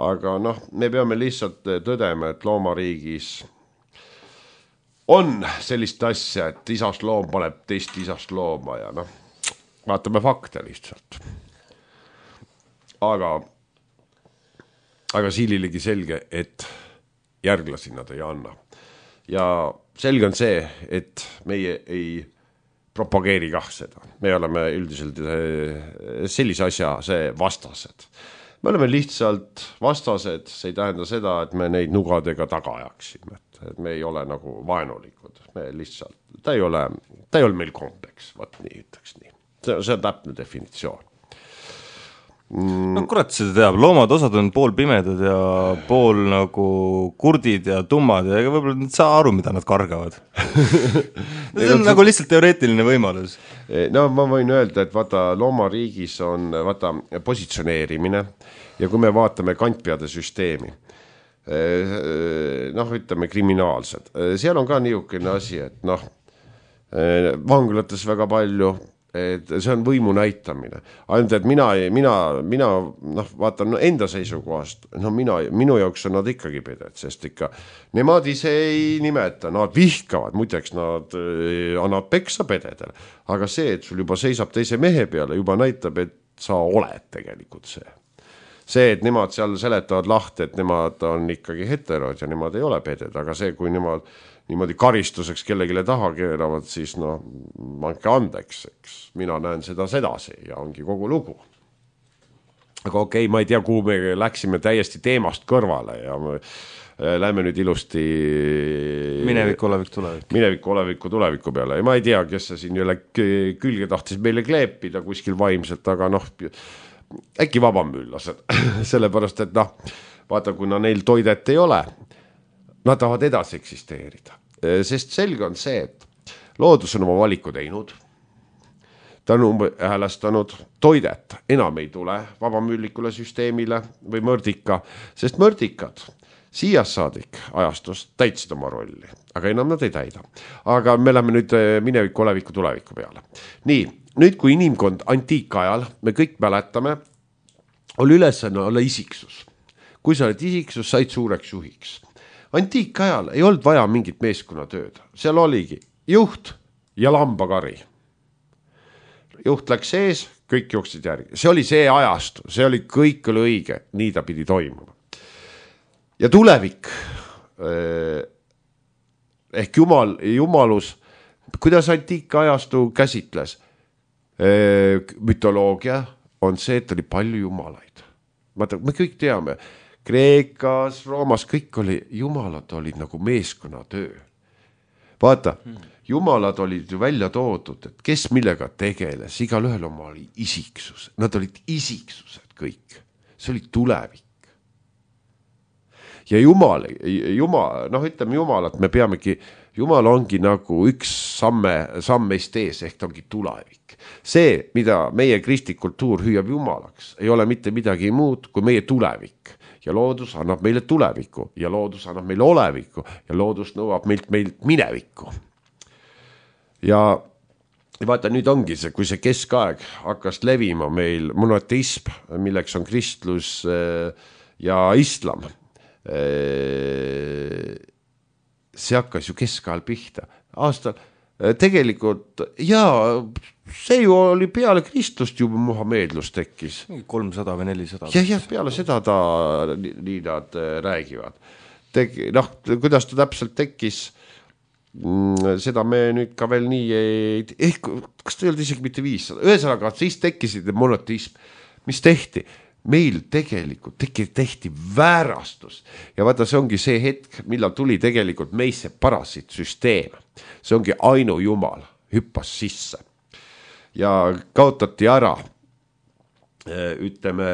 Aga me peame lihtsalt tõdema, et loomariigis on sellist asja, et isast loom paneb teist isast looma ja vaatame fakte lihtsalt. Aga siililegi selge, et järglasi nad ei anna. Ja selge on see, et meie ei propageeri kah seda. Me oleme üldiselt sellise asja vastased. Me oleme lihtsalt vastased, see ei tähenda seda, et me neid nugadega taga ajaksime. Et me ei ole nagu vaenulikud. Me lihtsalt, ta ei ole meil kompleks, vaat nii ütleks nii. See on täpne definitsioon. Kurat seda teab, loomad osad on pool pimedad ja pool nagu kurdid ja tummad ja võib-olla nad saa aru, mida nad kargavad. See on nagu lihtsalt teoreetiline võimalus. Ma võin öelda, et vaata loomariigis on positsioneerimine ja kui me vaatame kantpeade süsteemi, ütleme kriminaalsed, seal on ka niisugune asi, et vanglates väga palju, et see on võimu näitamine. Ainult, et mina vaatan enda seisukohast, minu jaoks on nad ikkagi peded, sest ikka nemad ise ei nimeta, nad vihkavad, muideks nad annavad peksa pededele, aga see, et sul juba seisab teise mehe peale, juba näitab, et sa oled tegelikult see. See, et nemad seal seletavad lahti, et nemad on ikkagi heterod ja nemad ei ole peded, aga see, kui nemad niimoodi karistuseks kellegile taha keeravad, siis andke andeks, eks. Mina näen seda sedasi ja ongi kogu lugu. Aga okei, ma ei tea, kuhu me läksime täiesti teemast kõrvale ja lähme nüüd ilusti mineviku tuleviku peale. Ja ma ei tea, kes see siin jälle külge tahtis meile kleepida kuskil vaimselt, aga äkki vabamüllased. Sellepärast, et vaata, kuna neil toidet ei ole, nad tahavad edasi eksisteerida. Sest selge on see, et loodus on oma valiku teinud, ta on häälestanud, toidet enam ei tule vabamüllikule süsteemile või mõrdika, sest mõrdikad, Siias saadik ajastust täitsid oma rolli, aga enam nad ei täida. Aga me läheme nüüd mineviku, oleviku, tuleviku peale. Nii, nüüd kui inimkond antiikajal, me kõik mäletame, oli ülesanne olla isiksus. Kui sa oled isiksus, said suureks juhiks. Antiikajal ei olnud vaja mingit meeskonnatööd. Seal oligi juht ja lambakari. Juht läks sees, kõik jooksid järgi. See oli see ajastu, see oli kõik oli õige, nii ta pidi toimuma. Ja tulevik ehk jumalus, kuidas antiikajastu käsitles? Mütoloogia on see, et oli palju jumalaid. Me kõik teame, Kreekas, Roomas, kõik oli, jumalad olid nagu meeskonnatöö. Vaata, jumalad olid ju välja toodud, et kes millega tegeles, igal ühel oma oli isiksus. Nad olid isiksused kõik. See oli tulevik. Ja jumal, ütleme jumalat, me peamegi, jumal ongi nagu üks sammeist ees, ehk ta ongi tulevik. See, mida meie kristlik kultuur hüüab jumalaks, ei ole mitte midagi muud kui meie tulevik. Ja loodus annab meile tuleviku ja loodus annab meile oleviku ja loodus nõuab meilt minevikku. Ja vaata, nüüd ongi see, kui see keskaeg hakkas levima meil monoteism, milleks on kristlus ja islam, see hakkas ju keskajal pihta. Aastal tegelikult, jaa, see ju oli peale kristlust juba muhameedlus tekkis. 300 või 400. Jah, peale seda nii nad räägivad. Kuidas ta täpselt tekkis, seda me nüüd ka veel nii ei... kas ta ei olnud isegi mitte 500? Ühesõnaga, siis tekkisid monoteism. Mis tehti? Meil tegelikult tehti väärastus. Ja vaata, see ongi see hetk, millal tuli tegelikult meisse parasit süsteem. See ongi ainu jumal, hüppas sisse. Ja kaotati ära, ütleme,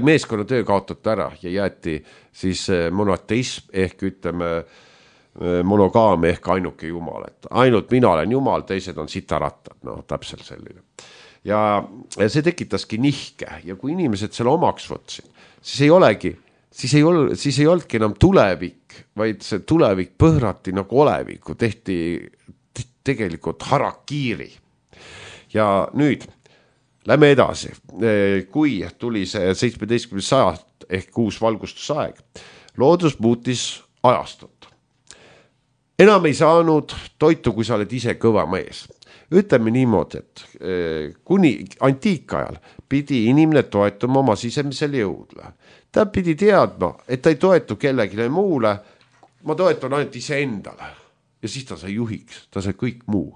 meeskonnatöö kaotati ära ja jäeti siis monoteism ehk ütleme monogaam ehk ainuke jumal. Et ainult mina olen jumal, teised on sitarattad, täpselt selline. Ja see tekitaski nihke ja kui inimesed selle omaks võtsid, siis ei olnudki enam tulevik, vaid see tulevik põhrati nagu oleviku, tehti tegelikult harakiiri. Ja nüüd lähme edasi, kui tuli see 17. sajand ehk uus valgustusaeg, loodus muutis ajastut. Enam ei saanud toitu, kui sa oled ise kõva mees. Ütleme niimoodi, et kuni antiikajal pidi inimene toetuma oma sisemisele jõudle. Ta pidi teadma, et ta ei toetu kellegile muule, ma toetun ainult ise endale. Ja siis ta sai juhiks, ta sai kõik muu.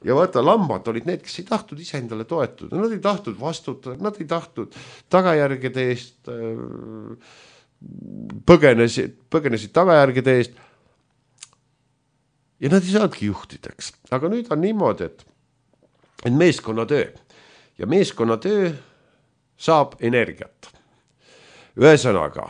Ja vaata, lambad olid need, kes ei tahtnud ise endale toetuda. Nad ei tahtnud vastutada, nad ei tahtnud tagajärgede eest, põgenesid tagajärgede eest. Ja nad ei saadki juhtideks. Aga nüüd on niimoodi, et meeskonnatöö. Ja meeskonnatöö saab energiat. Ühesõnaga,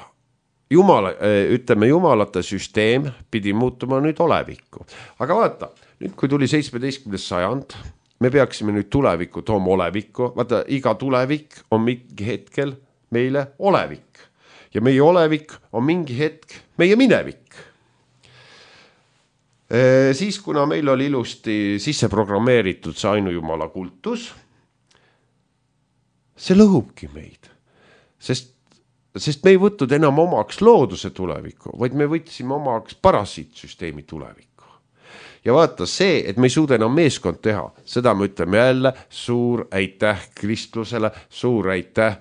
jumalate süsteem pidi muutuma nüüd olevikku. Aga vaata, nüüd kui tuli 17. sajand, me peaksime nüüd tulevikku tooma olevikku. Vaata, iga tulevik on mingi hetkel meile olevik. Ja meie olevik on mingi hetk meie minevik. Siis, kuna meil oli ilusti sisse programmeeritud see ainujumala kultus, see lõhubki meid, sest me ei võtnud enam omaks looduse tulevikku, vaid me võtsime omaks parasiitsüsteemi tulevikku. Ja vaata see, et me ei suuda enam meeskond teha, seda me ütleme jälle suur aitäh kristlusele, suur aitäh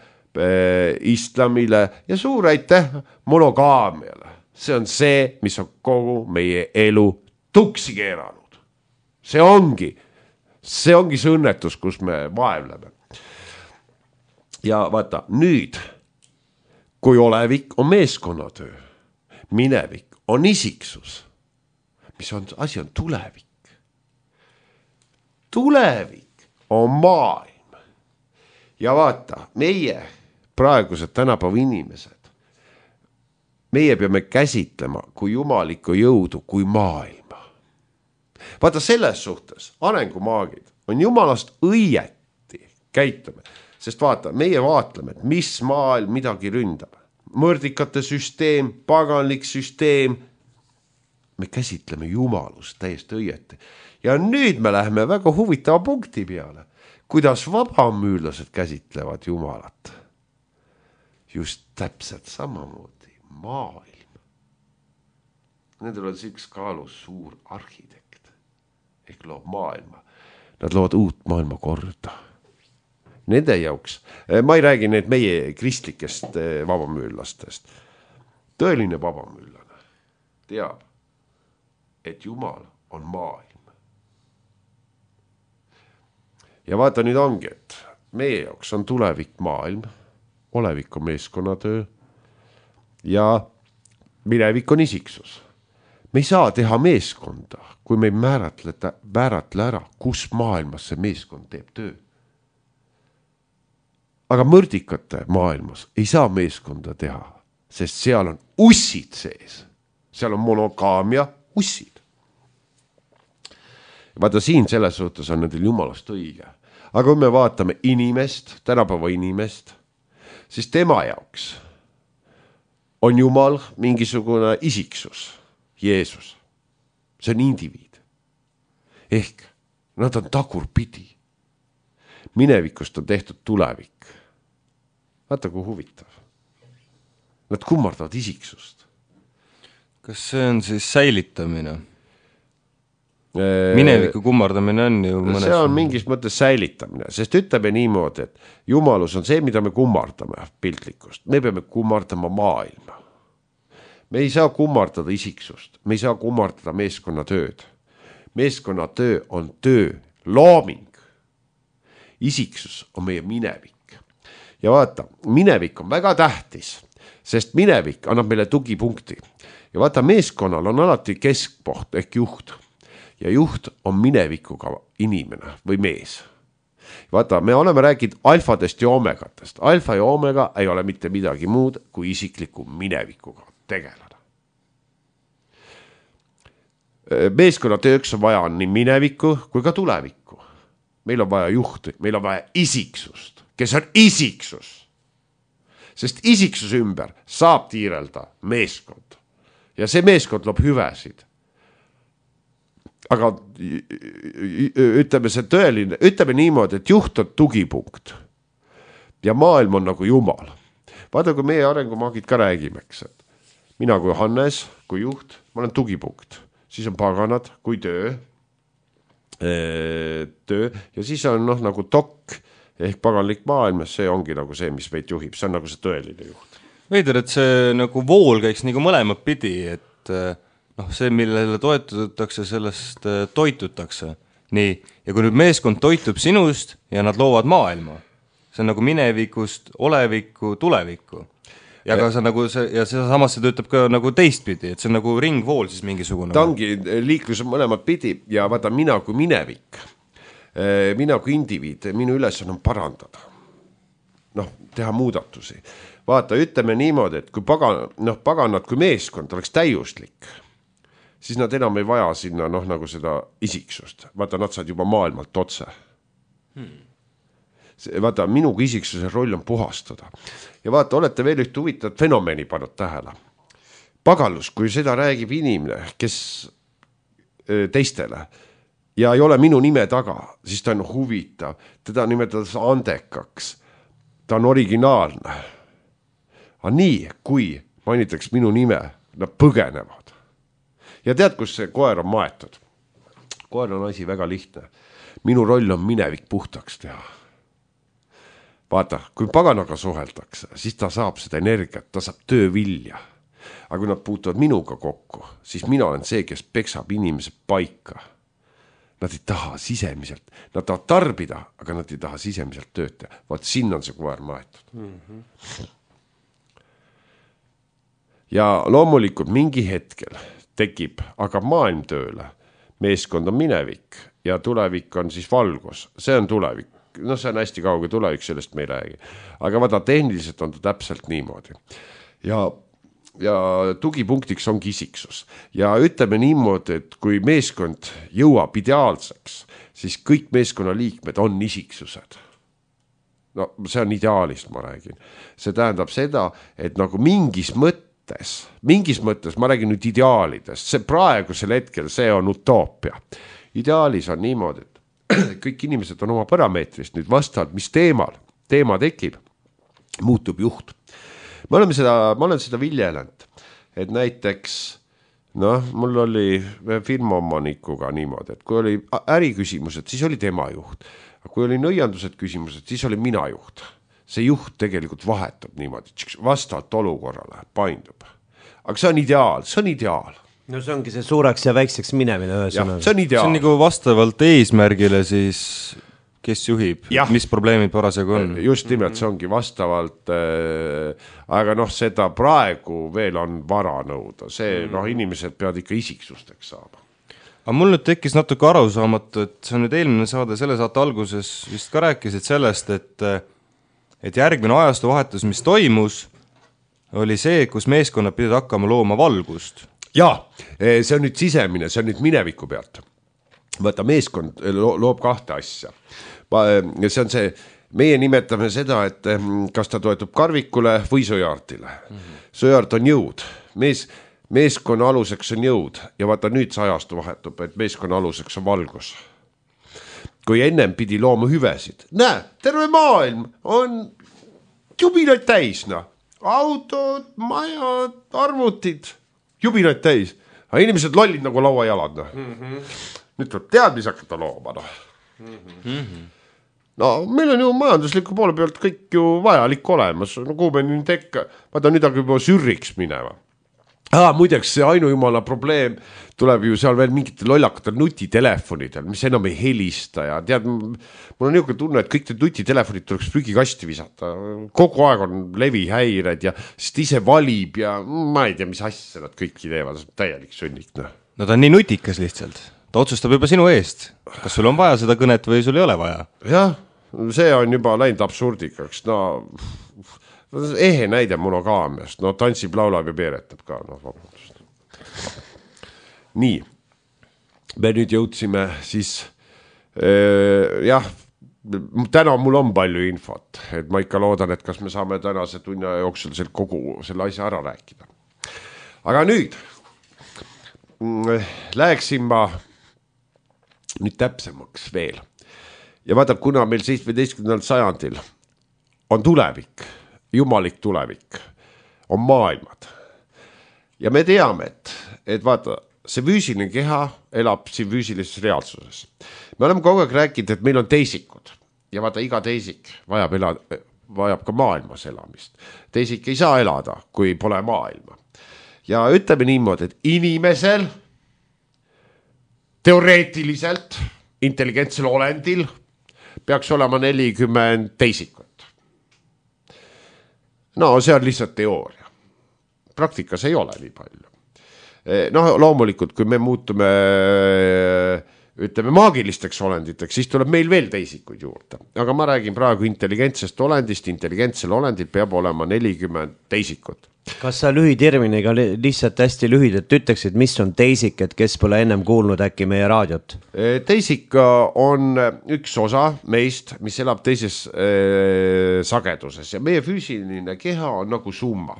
islamile ja suur aitäh monogaamiale. See on see, mis on kogu meie elu tuksi keeranud. See ongi see õnnetus, kus me vaevleme. Ja vaata, nüüd, kui olevik on meeskonnatöö, minevik on isiksus, asi on tulevik. Tulevik on maailm. Ja vaata, meie praegused tänapäeva inimesed, meie peame käsitlema kui jumalikku jõudu, kui maailma. Vaata, selles suhtes arengumaagid on jumalast õieti käitume, sest vaata, meie vaatleme, et mis maailm midagi ründab. mõrdikate süsteem, paganlik süsteem. Me käsitleme jumalust täiesti õieti. Ja nüüd me läheme väga huvitava punkti peale. Kuidas vabamüürlased käsitlevad jumalat? Just täpselt samamoodi maailm. Nendel on üks kaalus suur arhitekt ehk loob maailma. Nad loovad uut maailma korda. Nende jauks, ma ei räägi need meie kristlikest vabamüürlastest. Tõeline vabamüürlane teab, et Jumal on maailm. Ja vaata nüüd ongi, et meie jaoks on tulevik maailm, olevik on meeskonnatöö ja minevik on isiksus. Me ei saa teha meeskonda, kui me ei määratle ära, kus maailmas see meeskond teeb töö. Aga mõrdikate maailmas ei saa meeskonda teha, sest seal on ussid sees. Seal on monogaamia ussid. Vaata siin selles suhtes on nendel jumalast õige. Aga kui me vaatame inimest, tänapäeva inimest, siis tema jaoks on Jumal mingisugune isiksus, Jeesus. See on indiviid. Ehk nad on tagurpidi. Minevikust on tehtud tulevik. Vaata kui huvitav. Nad kummardavad isiksust. Kas see on siis säilitamine? Mineviku kummardamine on ju mõnes... See on mingis mõttes säilitamine, sest ütleme niimoodi, et jumalus on see, mida me kummardame piltlikust. Me peame kummardama maailma. Me ei saa kummardada isiksust. Me ei saa kummardada meeskonnatööd. Meeskonnatöö on töö, looming. Isiksus on meie minevik. Ja vaata, minevik on väga tähtis, sest minevik annab meile tugipunkti. Ja vaata, meeskonnal on alati keskpoht ehk juht. Ja juht on minevikuga inimene või mees. Vaata, me oleme rääkinud alfadest ja omegatest. Alfa ja omega ei ole mitte midagi muud kui isikliku minevikuga tegeleda. Meeskonnatööks on vaja nii minevikku kui ka tulevikku. Meil on vaja juhti, meil on vaja isiksust, kes on isiksus. Sest isiksuse ümber saab tiirelda meeskond. Ja see meeskond loob hüvesid. Aga ütleme see tõeline, ütleme niimoodi, et juht on tugipunkt. Ja maailm on nagu Jumal. Vaata, kui meie arengumaagid ka räägimeks, et mina kui Hannes, kui juht, ma olen tugipunkt. Siis on paganad kui töö ja siis on nagu tokk ehk paganlik maailmas, see ongi nagu see, mis meid juhib, see on nagu see tõeline juht. Veider, et see nagu vool käiks nagu mõlemad pidi, et see, millele toetutakse, sellest toitutakse. Nii, ja kui nüüd meeskond toitub sinust ja nad loovad maailma, see on nagu minevikust, olevikku, tulevikku. Ja ka see nagu see, ja see samas see töötab ka nagu teistpidi, et see on nagu ringvool siis mingisugune. Ta ongi liiklus mõlemad pidi ja vaata mina kui minevik, mina kui indiviid, minu ülesanne on parandada. Teha muudatusi. Vaata, ütleme niimoodi, et kui paganad kui meeskond oleks täiuslik, siis nad enam ei vaja sinna nagu seda isiksust. Vaata, nad saad juba maailmalt otse. Vaata, minu kui isiksuse roll on puhastada. Ja vaata, olete veel üht huvitavat fenomeni pannud tähele. Pagalus, kui seda räägib inimene, kes teistele ja ei ole minu nime taga, siis ta on huvitav. Teda nimetades andekaks. Ta on originaalne. Aga nii, kui mainitakse minu nime, nad põgenevad. Ja tead, kus see koer on maetud? Koer on asi väga lihtne. Minu roll on minevik puhtaks teha. Vaata, kui paganaga suheldakse, siis ta saab seda energiat, ta saab töövilja. Aga kui nad puutuvad minuga kokku, siis mina olen see, kes peksab inimese paika. Nad ei taha sisemiselt, nad tahavad tarbida, aga nad ei taha sisemiselt tööd teha. Vaat siin on see koer maetud. Ja loomulikult mingi hetkel tekib aga maailm tööle. Meeskond on minevik ja tulevik on siis valgus. See on tulevik. See on hästi kauge tulevik, sellest me ei räägi. Aga vaata, tehniliselt on ta täpselt niimoodi. Ja tugipunktiks ongi isiksus. Ja ütleme niimoodi, et kui meeskond jõuab ideaalseks, siis kõik meeskonna liikmed on isiksused. no see on ideaalist, ma räägin. See tähendab seda, et nagu mingis mõttes, ma räägin nüüd ideaalidest, see praegusel hetkel, see on utoopia. Ideaalis on niimoodi, et kõik inimesed on oma parameetrist nüüd vastavalt, mis teema tekib, muutub juht. Ma olen seda viljelenud, et näiteks, mul oli firma omanikuga niimoodi, et kui oli äriküsimused, siis oli tema juht. Kui oli nõiandused küsimused, siis oli mina juht. See juht tegelikult vahetub niimoodi, vastavalt olukorrale paindub. Aga see on ideaal. No see ongi see suureks ja väikseks minemine ühesõnaga. See on ideaal. See on nagu vastavalt eesmärgile siis, kes juhib, mis probleemid parasjagu on. Just nimelt, see ongi vastavalt, aga seda praegu veel on vara nõuda. See, inimesed peavad ikka isiksusteks saama. Aga mul nüüd tekkis natuke arusaamatu, et see on nüüd eelmine saade, selle saate alguses vist ka rääkisid sellest, et järgmine ajastu vahetus, mis toimus, oli see, kus meeskonnad pidid hakkama looma valgust. Jaa, see on nüüd sisemine, see on nüüd mineviku pealt. Võta, meeskond loob kahte asja. See on see, meie nimetame seda, et kas ta toetub karvikule või sõjaartile. Sõjaart on jõud. Meeskonna aluseks on jõud ja vaata nüüd see ajastu vahetub, et meeskonna aluseks on valgus. Kui ennem pidi looma hüvesid. Näe, terve maailm on jubilaid täis. Autod, majad, arvutid, jubilaid täis. Aga inimesed lollid nagu lauajalad. Nüüd tuleb teadmis hakata looma. Meil on ju majandusliku poole pealt kõik ju vajalik olemas. Kuhu me nüüd tekka, vaata nüüd aga juba sürriks minema. Muideks see ainujumala probleem tuleb ju seal veel mingitel lollakatel nutitelefonidel, mis enam ei helista ja tead, mul on niisugune tunne, et kõik need nutitelefonid tuleks prügikasti visata. Kogu aeg on levihäired ja sest ise valib ja ma ei tea, mis asja nad kõiki teevad, täielik sõnnik. No ta on nii nutikas lihtsalt. Ta otsustab juba sinu eest. Kas sul on vaja seda kõnet või sul ei ole vaja? Jah, see on juba läinud absurdikaks. Ehe näide monogaamiast, tantsib, laulab ja peeretab ka, vabandust. Nii, me nüüd jõudsime siis, täna mul on palju infot, et ma ikka loodan, et kas me saame tänase tunni jooksul kogu selle asja ära rääkida. Aga nüüd läheksin ma nüüd täpsemaks veel. Ja vaata, kuna meil 17. sajandil on tulevik, jumalik tulevik, on maailmad. Ja me teame, et vaata, see füüsiline keha elab siin füüsilises reaalsuses. Me oleme kogu aeg rääkinud, et meil on teisikud. Ja vaata, iga teisik vajab ka maailmas elamist. Teisik ei saa elada, kui pole maailma. Ja ütleme niimoodi, et inimesel teoreetiliselt intelligentsel olendil peaks olema 40 teisikut. See on lihtsalt teooria. Praktikas ei ole nii palju. Loomulikult, kui me muutume, ütleme, maagilisteks olenditeks, siis tuleb meil veel teisikuid juurde. Aga ma räägin praegu intelligentsest olendist. Intelligentsel olendil peab olema 40 teisikut. Kas sa lühiterminiga lihtsalt hästi lühidalt ütleksid, mis on teisik, et kes pole ennem kuulnud äkki meie raadiot? Teisik on üks osa meist, mis elab teises sageduses ja meie füüsiline keha on nagu summa.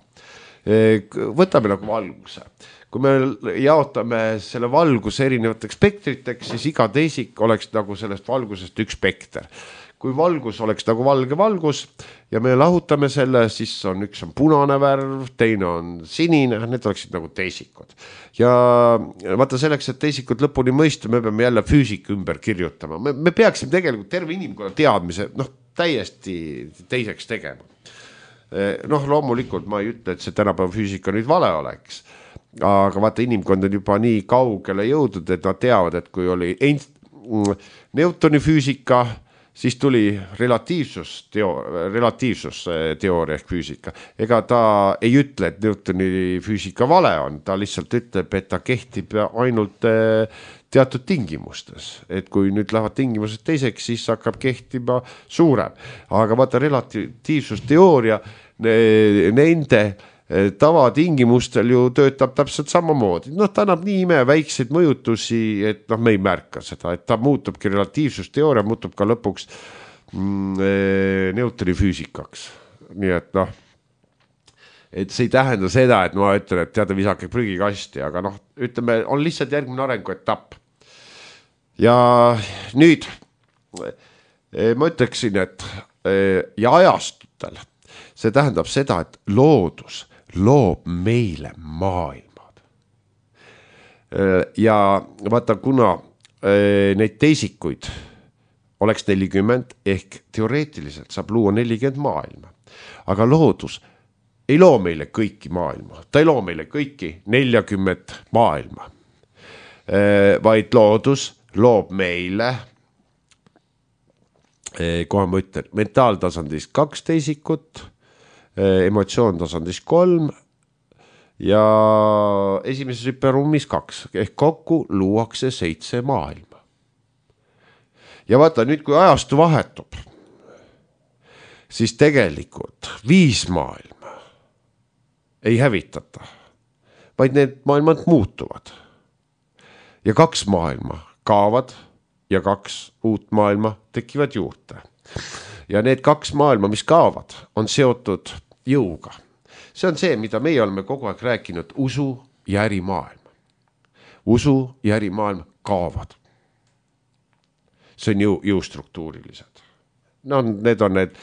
Võtame nagu valguse. Kui me jaotame selle valguse erinevateks spektriteks, siis iga teisik oleks nagu sellest valgusest üks spekter. Kui valgus oleks nagu valge valgus ja me lahutame selle, siis üks on punane värv, teine on sinine, need oleksid nagu teisikud. Ja vaata selleks, et teisikud lõpuni mõista, me peame jälle füüsika ümber kirjutama. Me peaksime tegelikult terve inimkonna teadmise täiesti teiseks tegema. Loomulikult ma ei ütle, et see tänapäeva füüsika nüüd vale oleks, aga vaata inimkond on juba nii kaugele jõudnud, et nad teavad, et kui oli Newtoni füüsika, siis tuli relatiivsusteooria ehk füüsika. Ega ta ei ütle, et Newtoni füüsika vale on, ta lihtsalt ütleb, et ta kehtib ainult teatud tingimustes. Et kui nüüd lähevad tingimused teiseks, siis hakkab kehtima suurem. Aga vaata relatiivsusteooria nende tavatingimustel ju töötab täpselt samamoodi. Ta annab nii väikseid mõjutusi, et me ei märka seda, et ta muutubki relatiivsusteooria, muutub ka lõpuks Newtoni füüsikaks. Nii et noh, et see ei tähenda seda, et ma ütlen, et teada visake prügikasti, aga noh, ütleme, on lihtsalt järgmine arenguetapp. Ja nüüd ma ütleksin, et ja ajastutel see tähendab seda, et loodus loob meile maailmad. Ja vaata, kuna neid teisikuid oleks 40 ehk teoreetiliselt saab luua 40 maailma, aga loodus ei loo meile kõiki maailma, ta ei loo meile kõiki 40 maailma, vaid loodus loob meile, kohe ma ütlen, mentaaltasandis 2 teisikut, emotsioontasandis 3 ja esimeses hüperruumis 2, ehk kokku luuakse 7 maailma. Ja vaata nüüd, kui ajastu vahetub, siis tegelikult 5 maailma ei hävitata, vaid need maailmad muutuvad. Ja 2 maailma kaovad ja 2 uut maailma tekivad juurde. Ja need 2 maailma, mis kaovad, on seotud jõuga. See on see, mida meie oleme kogu aeg rääkinud, usu ja ärimaailm. Usu ja ärimaailm kaovad. See on jõustruktuurilised. No, need on need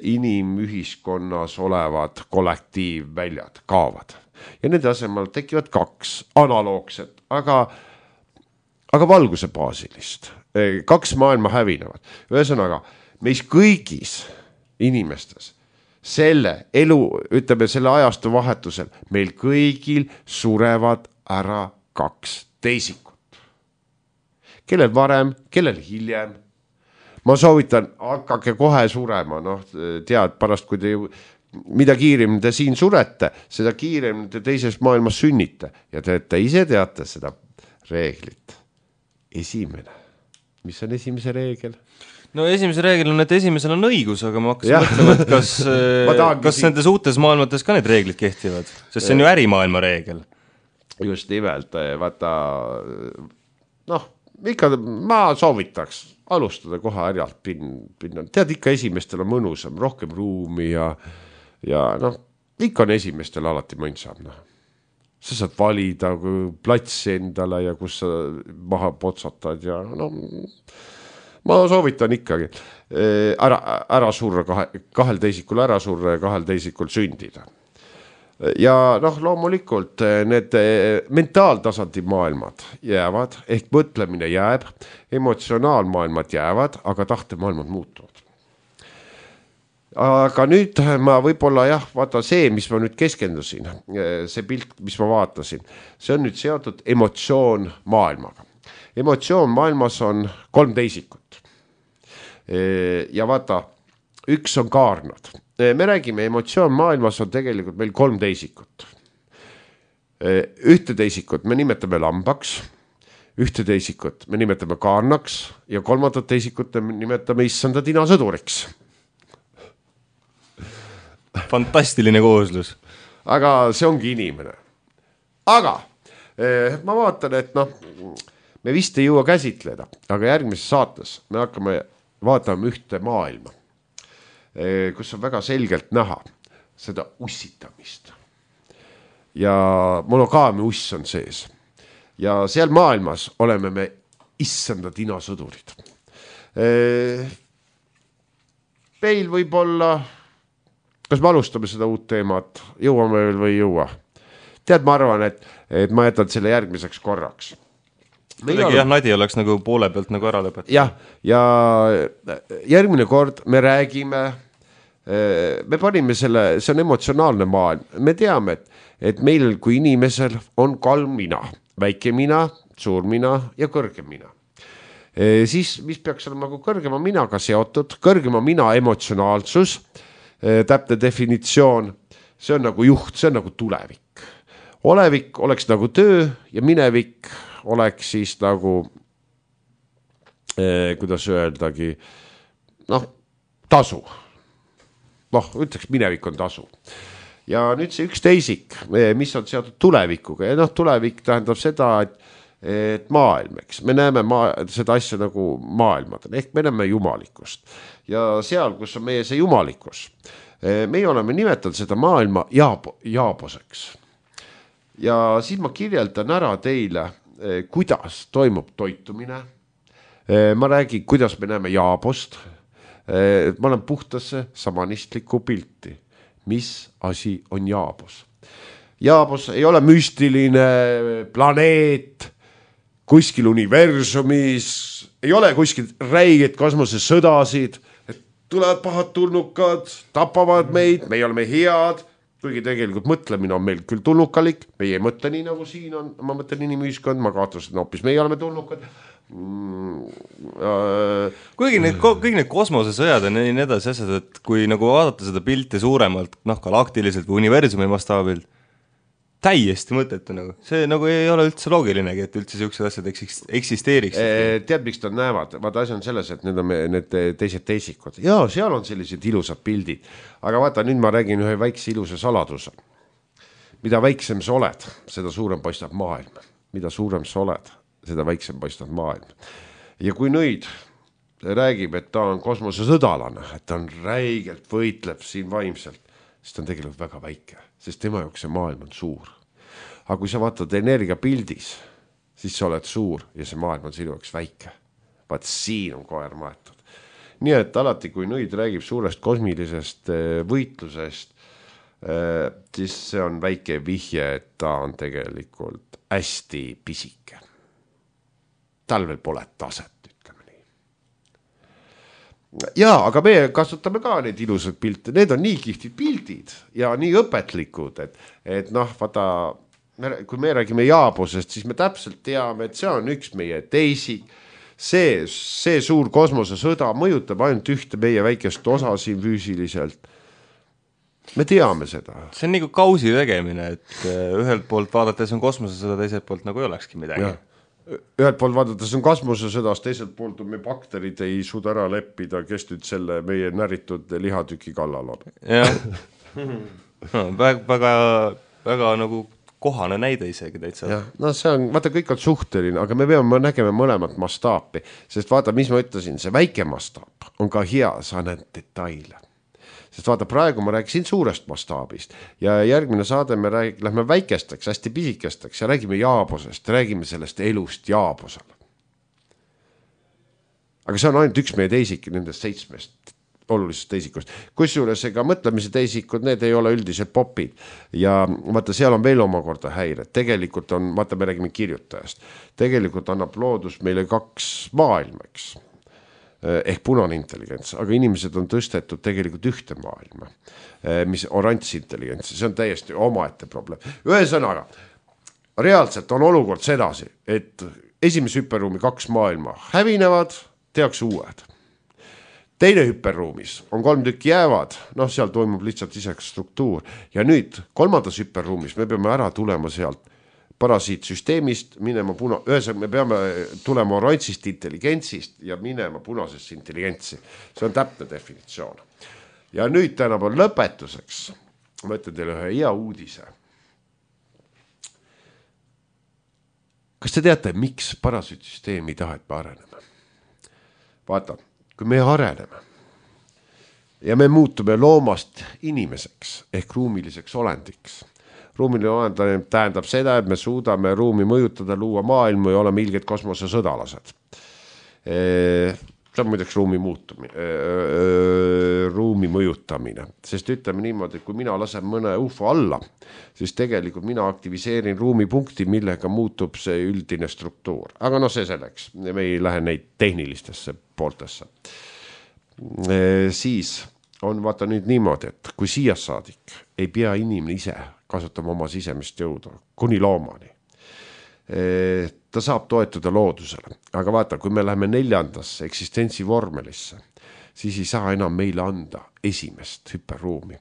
inimühiskonnas olevad kollektiivväljad, kaovad. Ja nende asemel tekivad 2 analoogset, aga valguse baasilist. 2 maailma hävinevad. Ühesõnaga, meis kõigis inimestes selle elu, ütleme selle ajastu vahetusel, meil kõigil surevad ära 2 teisikut. Kellel varem, kellel hiljem. Ma soovitan, hakake kohe surema, noh, tead, pärast kui te mida kiirem te siin surete, seda kiirem te teises maailmas sünnite. Ja te ise teate seda reeglit. Esimene. Mis on esimese reegel? No esimese reegel on, et esimesel on õigus, aga ma hakkasin mõtlema, et kas nendes uutes maailmates ka need reeglid kehtivad? Sest see on ju ärimaailma reegel. Just nimelt, vaata, noh, ikka ma soovitaks alustada kohe härjalt pinna. Tead, ikka esimestel on mõnusam, rohkem ruumi ja noh, ikka on esimestel alati mõnsam. No. Sa saad valida platsi endale ja kus sa maha potsatad ja no, ma soovitan ikkagi ära surra 2 teisikul ära surra ja 2 teisikul sündida. Ja noh, loomulikult need mentaaltasandi maailmad jäävad, ehk mõtlemine jääb, emotsionaalmaailmad jäävad, aga tahtemaailmad muutuvad. Aga nüüd ma võib-olla vaata see, mis ma nüüd keskendusin, see pilt, mis ma vaatasin, see on nüüd seotud emotsioon maailmaga. Emotsioon maailmas on 3 teisikut. Ja vaata, 1 on kaarnad. Me räägime, emotsioon maailmas on tegelikult meil 3 teisikut. 1 teisikut me nimetame lambaks, 1 teisikut me nimetame kaarnaks ja 3 teisikut me nimetame issanda tinasõduriks. Fantastiline kooslus. Aga see ongi inimene. Aga ma vaatan, et noh, me vist ei jõua käsitleda, aga järgmises saates me hakkame vaatama 1 maailma, kus on väga selgelt näha seda ussitamist. Ja monogaami uss on sees. Ja seal maailmas oleme me issanda tinasõdurid. Meil võib olla, kas me alustame seda uut teemat, jõuame veel või ei jõua? Tead, ma arvan, et ma jätan selle järgmiseks korraks. Nadi oleks nagu poole pealt nagu ära lõpetada. Ja järgmine kord me räägime, me panime selle, see on emotsionaalne maailm. Me teame, et meil kui inimesel on 3 mina, väike mina, suur mina ja kõrge mina. Siis, mis peaks olema nagu kõrgema minaga seotud, kõrgema mina emotsionaalsus, täpne definitsioon, see on nagu juht, see on nagu tulevik. Olevik oleks nagu töö ja minevik oleks siis nagu, kuidas öeldagi, noh, tasu. Noh, ütleks, minevik on tasu. Ja nüüd see 1 teisik, mis on seotud tulevikuga. Ja noh, tulevik tähendab seda, et maailm, eks, me näeme seda asja nagu maailmadel, ehk me näeme jumalikkust ja seal, kus on meie see jumalikkus, meie oleme nimetanud seda maailma jaaboseks. Ja siis ma kirjeldan ära teile, kuidas toimub toitumine. Ma räägin, kuidas me näeme jaabost. Ma olen puhtasse samanistlikku pilti. Mis asi on jaabos? Jaabos ei ole müstiline planeet kuskil universumis, ei ole kuskil räiged kosmosesõdasid, et tulevad pahad tulnukad, tapavad meid, me oleme head, kuigi tegelikult mõtlemine on meil küll tulnukalik, meie ei mõtle nii nagu siin on, ma mõtlen inimühiskond, ma kahtlustan hoopis, meie oleme tulnukad. Kuigi kõik need kosmosesõjad on nii edasi asjad, et kui nagu vaadata seda pilti suuremalt, galaktiliselt või universumi mastaabilt, täiesti mõttetu nagu. See nagu ei ole üldse loogilinegi, et üldse sellised asjad eksisteeriks. Tead, miks nad näevad? Vaata, asi on selles, et need on need teised teisikud. Jaa, seal on sellised ilusad pildid. Aga vaata, nüüd ma räägin ühe väikse ilusa saladuse. Mida väiksem sa oled, seda suurem paistab maailm. Mida suurem sa oled, seda väiksem paistab maailm. Ja kui nüüd räägib, et ta on kosmosesõdalane, et ta on räigelt võitleb siin vaimselt, siis ta on tegelikult väga väike, sest tema jaoks see maailm on suur. Aga kui sa vaatad energiapildis, siis sa oled suur ja see maailm on sinu jaoks väike. Vaat siin on koer maetud. Nii et alati, kui nõid räägib suurest kosmilisest võitlusest, siis see on väike vihje, et ta on tegelikult hästi pisike. Tal veel pole taset. Jaa, aga me kasutame ka need ilusad pilte, need on nii kihtid pildid ja nii õpetlikud, et vaata, kui me räägime jaabusest, siis me täpselt teame, et see on üks meie teisik, see suur kosmosesõda mõjutab ainult ühte meie väikest osa siin füüsiliselt. Me teame seda. See on nagu kausi tegemine, et ühelt poolt vaadates on kosmosesõda, teiselt poolt nagu ei olekski midagi. Ja. Ühelt poolt vaadates on kosmosesõdas, teiselt poolt on me bakterid ei suuda ära leppida, kes nüüd selle meie näritud lihatüki kallal on. Jah, väga nagu kohane näide isegi täitsa. Ja, see on, vaata, kõik on suhteline, aga me peame nägema mõlemat mastaapi, sest vaata, mis ma ütlesin, see väike mastaap on ka hea, sa näed detaile. Sest vaata, praegu ma rääkisin suurest mastaabist ja järgmine saade me lähme väikesteks, hästi pisikesteks ja räägime jaabosest, räägime sellest elust jaabosel. Aga see on ainult üks meie teisik nendest 7 olulisest teisikust. Kusjuures ega mõtlemise teisikud, need ei ole üldiselt popid ja vaata, seal on veel omakorda häired. Tegelikult on, vaata, me räägime kirjutajast. Tegelikult annab loodus meile 2 maailmaks. Ehk punane intelligents, aga inimesed on tõstetud tegelikult ühte maailma, mis oranž intelligents, see on täiesti omaette probleem. Ühesõnaga, reaalselt on olukord sedasi, et esimese hüperruumi 2 maailma hävinevad, tehakse uued. Teine hüperruumis on 3 tükki jäävad, seal toimub lihtsalt iseks struktuur ja nüüd 3. hüperruumis me peame ära tulema sealt parasiitsüsteemist, ühesõnaga me peame tulema oranžist intelligentsist ja minema punasesse intelligentsi. See on täpne definitsioon. Ja nüüd tänapäeval lõpetuseks, ma ütlen teile ühe hea uudise. Kas te teate, miks parasiitsüsteem ei taha, et me areneme? Vaata, kui me areneme ja me muutume loomast inimeseks ehk ruumiliseks olendiks, ruumiline olend tähendab seda, et me suudame ruumi mõjutada, luua maailmu ja oleme ilged kosmosesõdalased. See on muideks ruumi mõjutamine, sest ütleme niimoodi, et kui mina lasen mõne UFO alla, siis tegelikult mina aktiviseerin ruumipunkti, millega muutub see üldine struktuur. Aga see selleks, me ei lähe neid tehnilistesse pooltesse. Siis on vaata nüüd niimoodi, et kui siia saadik ei pea inimene ise kasutama oma sisemist jõudu, kuni loomani. Ta saab toetuda loodusele. Aga vaata, kui me läheme 4. eksistentsi vormelisse, siis ei saa enam meile anda esimest hüperruumi.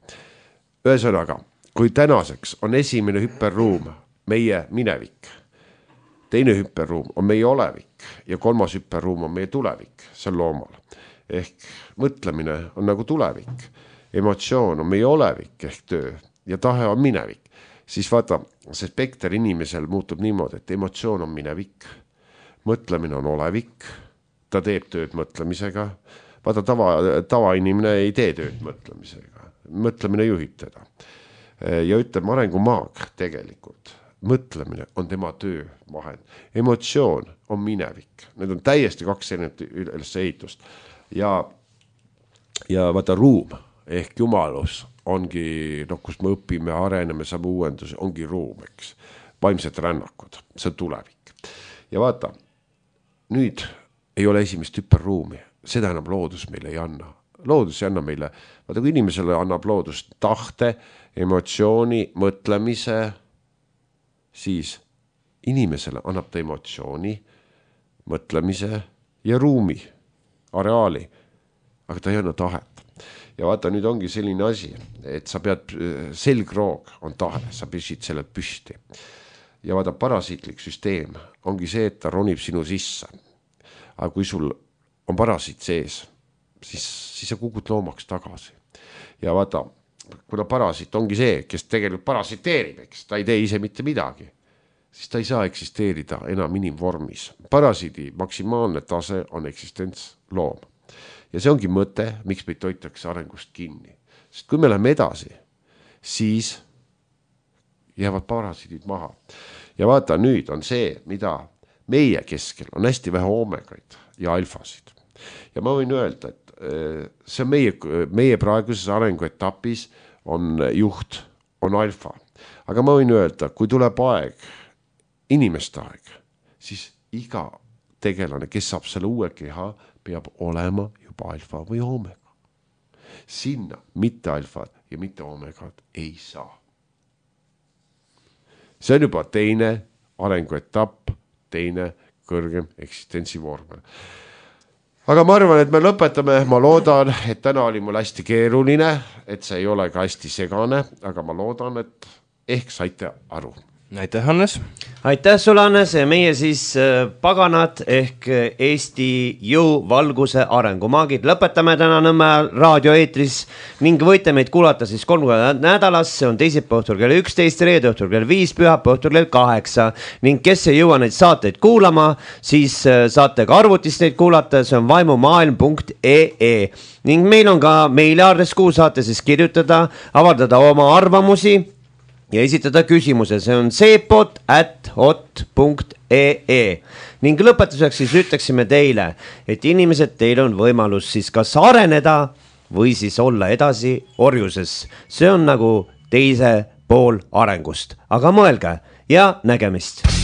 Ühesõnaga, kui tänaseks on esimene hüperruum meie minevik, teine hüperruum on meie olevik ja 3. hüperruum on meie tulevik, see on loomal. Ehk mõtlemine on nagu tulevik, emotsioon on meie olevik ehk töö ja tahe on minevik. siis vaata, see spekter inimesel muutub niimoodi, et emotsioon on minevik, mõtlemine on olevik, ta teeb tööd mõtlemisega, vaata tavainimene ei tee tööd mõtlemisega, mõtlemine juhib teda. Ja ütleme, arengumaag tegelikult, mõtlemine on tema töö vahend, emotsioon on minevik, need on täiesti 2 üles ehitust ja vaata ruum ehk jumalus ongi, kus me õpime, areneme, saame uuendusi, ongi ruum, eks, vaimsed rännakud, see on tulevik. Ja vaata, nüüd ei ole esimest hüperruumi, seda enam loodus meile ei anna. Loodus ei anna meile, vaata kui inimesele annab loodus tahte, emotsiooni, mõtlemise, siis inimesele annab ta emotsiooni, mõtlemise ja ruumi, areaali, aga ta ei anna tahet. Ja vaata, nüüd ongi selline asi, et sa pead, selgroog on tahe, sa püsid sellelt püsti. Ja vaata, parasiitlik süsteem ongi see, et ta ronib sinu sisse. Aga kui sul on parasiit sees, siis sa kukud loomaks tagasi. Ja vaata, kuna parasiit ongi see, kes tegelikult parasiteerib, eks, ta ei tee ise mitte midagi, siis ta ei saa eksisteerida enam inimvormis. Parasiidi maksimaalne tase on eksistents loom. Ja see ongi mõte, miks meid toitakse arengust kinni. Sest kui me läheme edasi, siis jäävad parasiidid maha. Ja vaata, nüüd on see, mida meie keskel on hästi vähe oomegaid ja alfasid. Ja ma võin öelda, et see on meie praeguses arenguetapis on juht, on alfa. Aga ma võin öelda, kui tuleb aeg, inimeste aeg, siis iga tegelane, kes saab selle uue keha, peab olema juba alfa või oomega. Sinna mitte alfad ja mitte oomegad ei saa. See on juba teine arenguetapp, teine kõrgem eksistentsivorm. Aga ma arvan, et me lõpetame, ma loodan, et täna oli mul hästi keeruline, et see ei ole ka hästi segane, aga ma loodan, et ehk saite aru. Aitäh, Hannes! Aitäh sulle, Hannes, ja meie siis paganad ehk Eesti jõuvalguse arengumaagid lõpetame täna Nõmme raadioeetris ning võite meid kuulata siis 3 korda nädalas, see on teisipäeva õhtul kell 11, reede õhtul kell 5, pühapäeva õhtul kell 8 ning kes ei jõua neid saateid kuulama, siis saate ka arvutist neid kuulata, see on vaimumaailm.ee ning meil on ka meiliaadress, kuhu saate siis kirjutada, avaldada oma arvamusi ja esitada küsimuse, see on seepot@hot.ee ning lõpetuseks siis ütleksime teile, et inimesed, teil on võimalus siis kas areneda või siis olla edasi orjuses. See on nagu teise pool arengust, aga mõelge ja nägemist!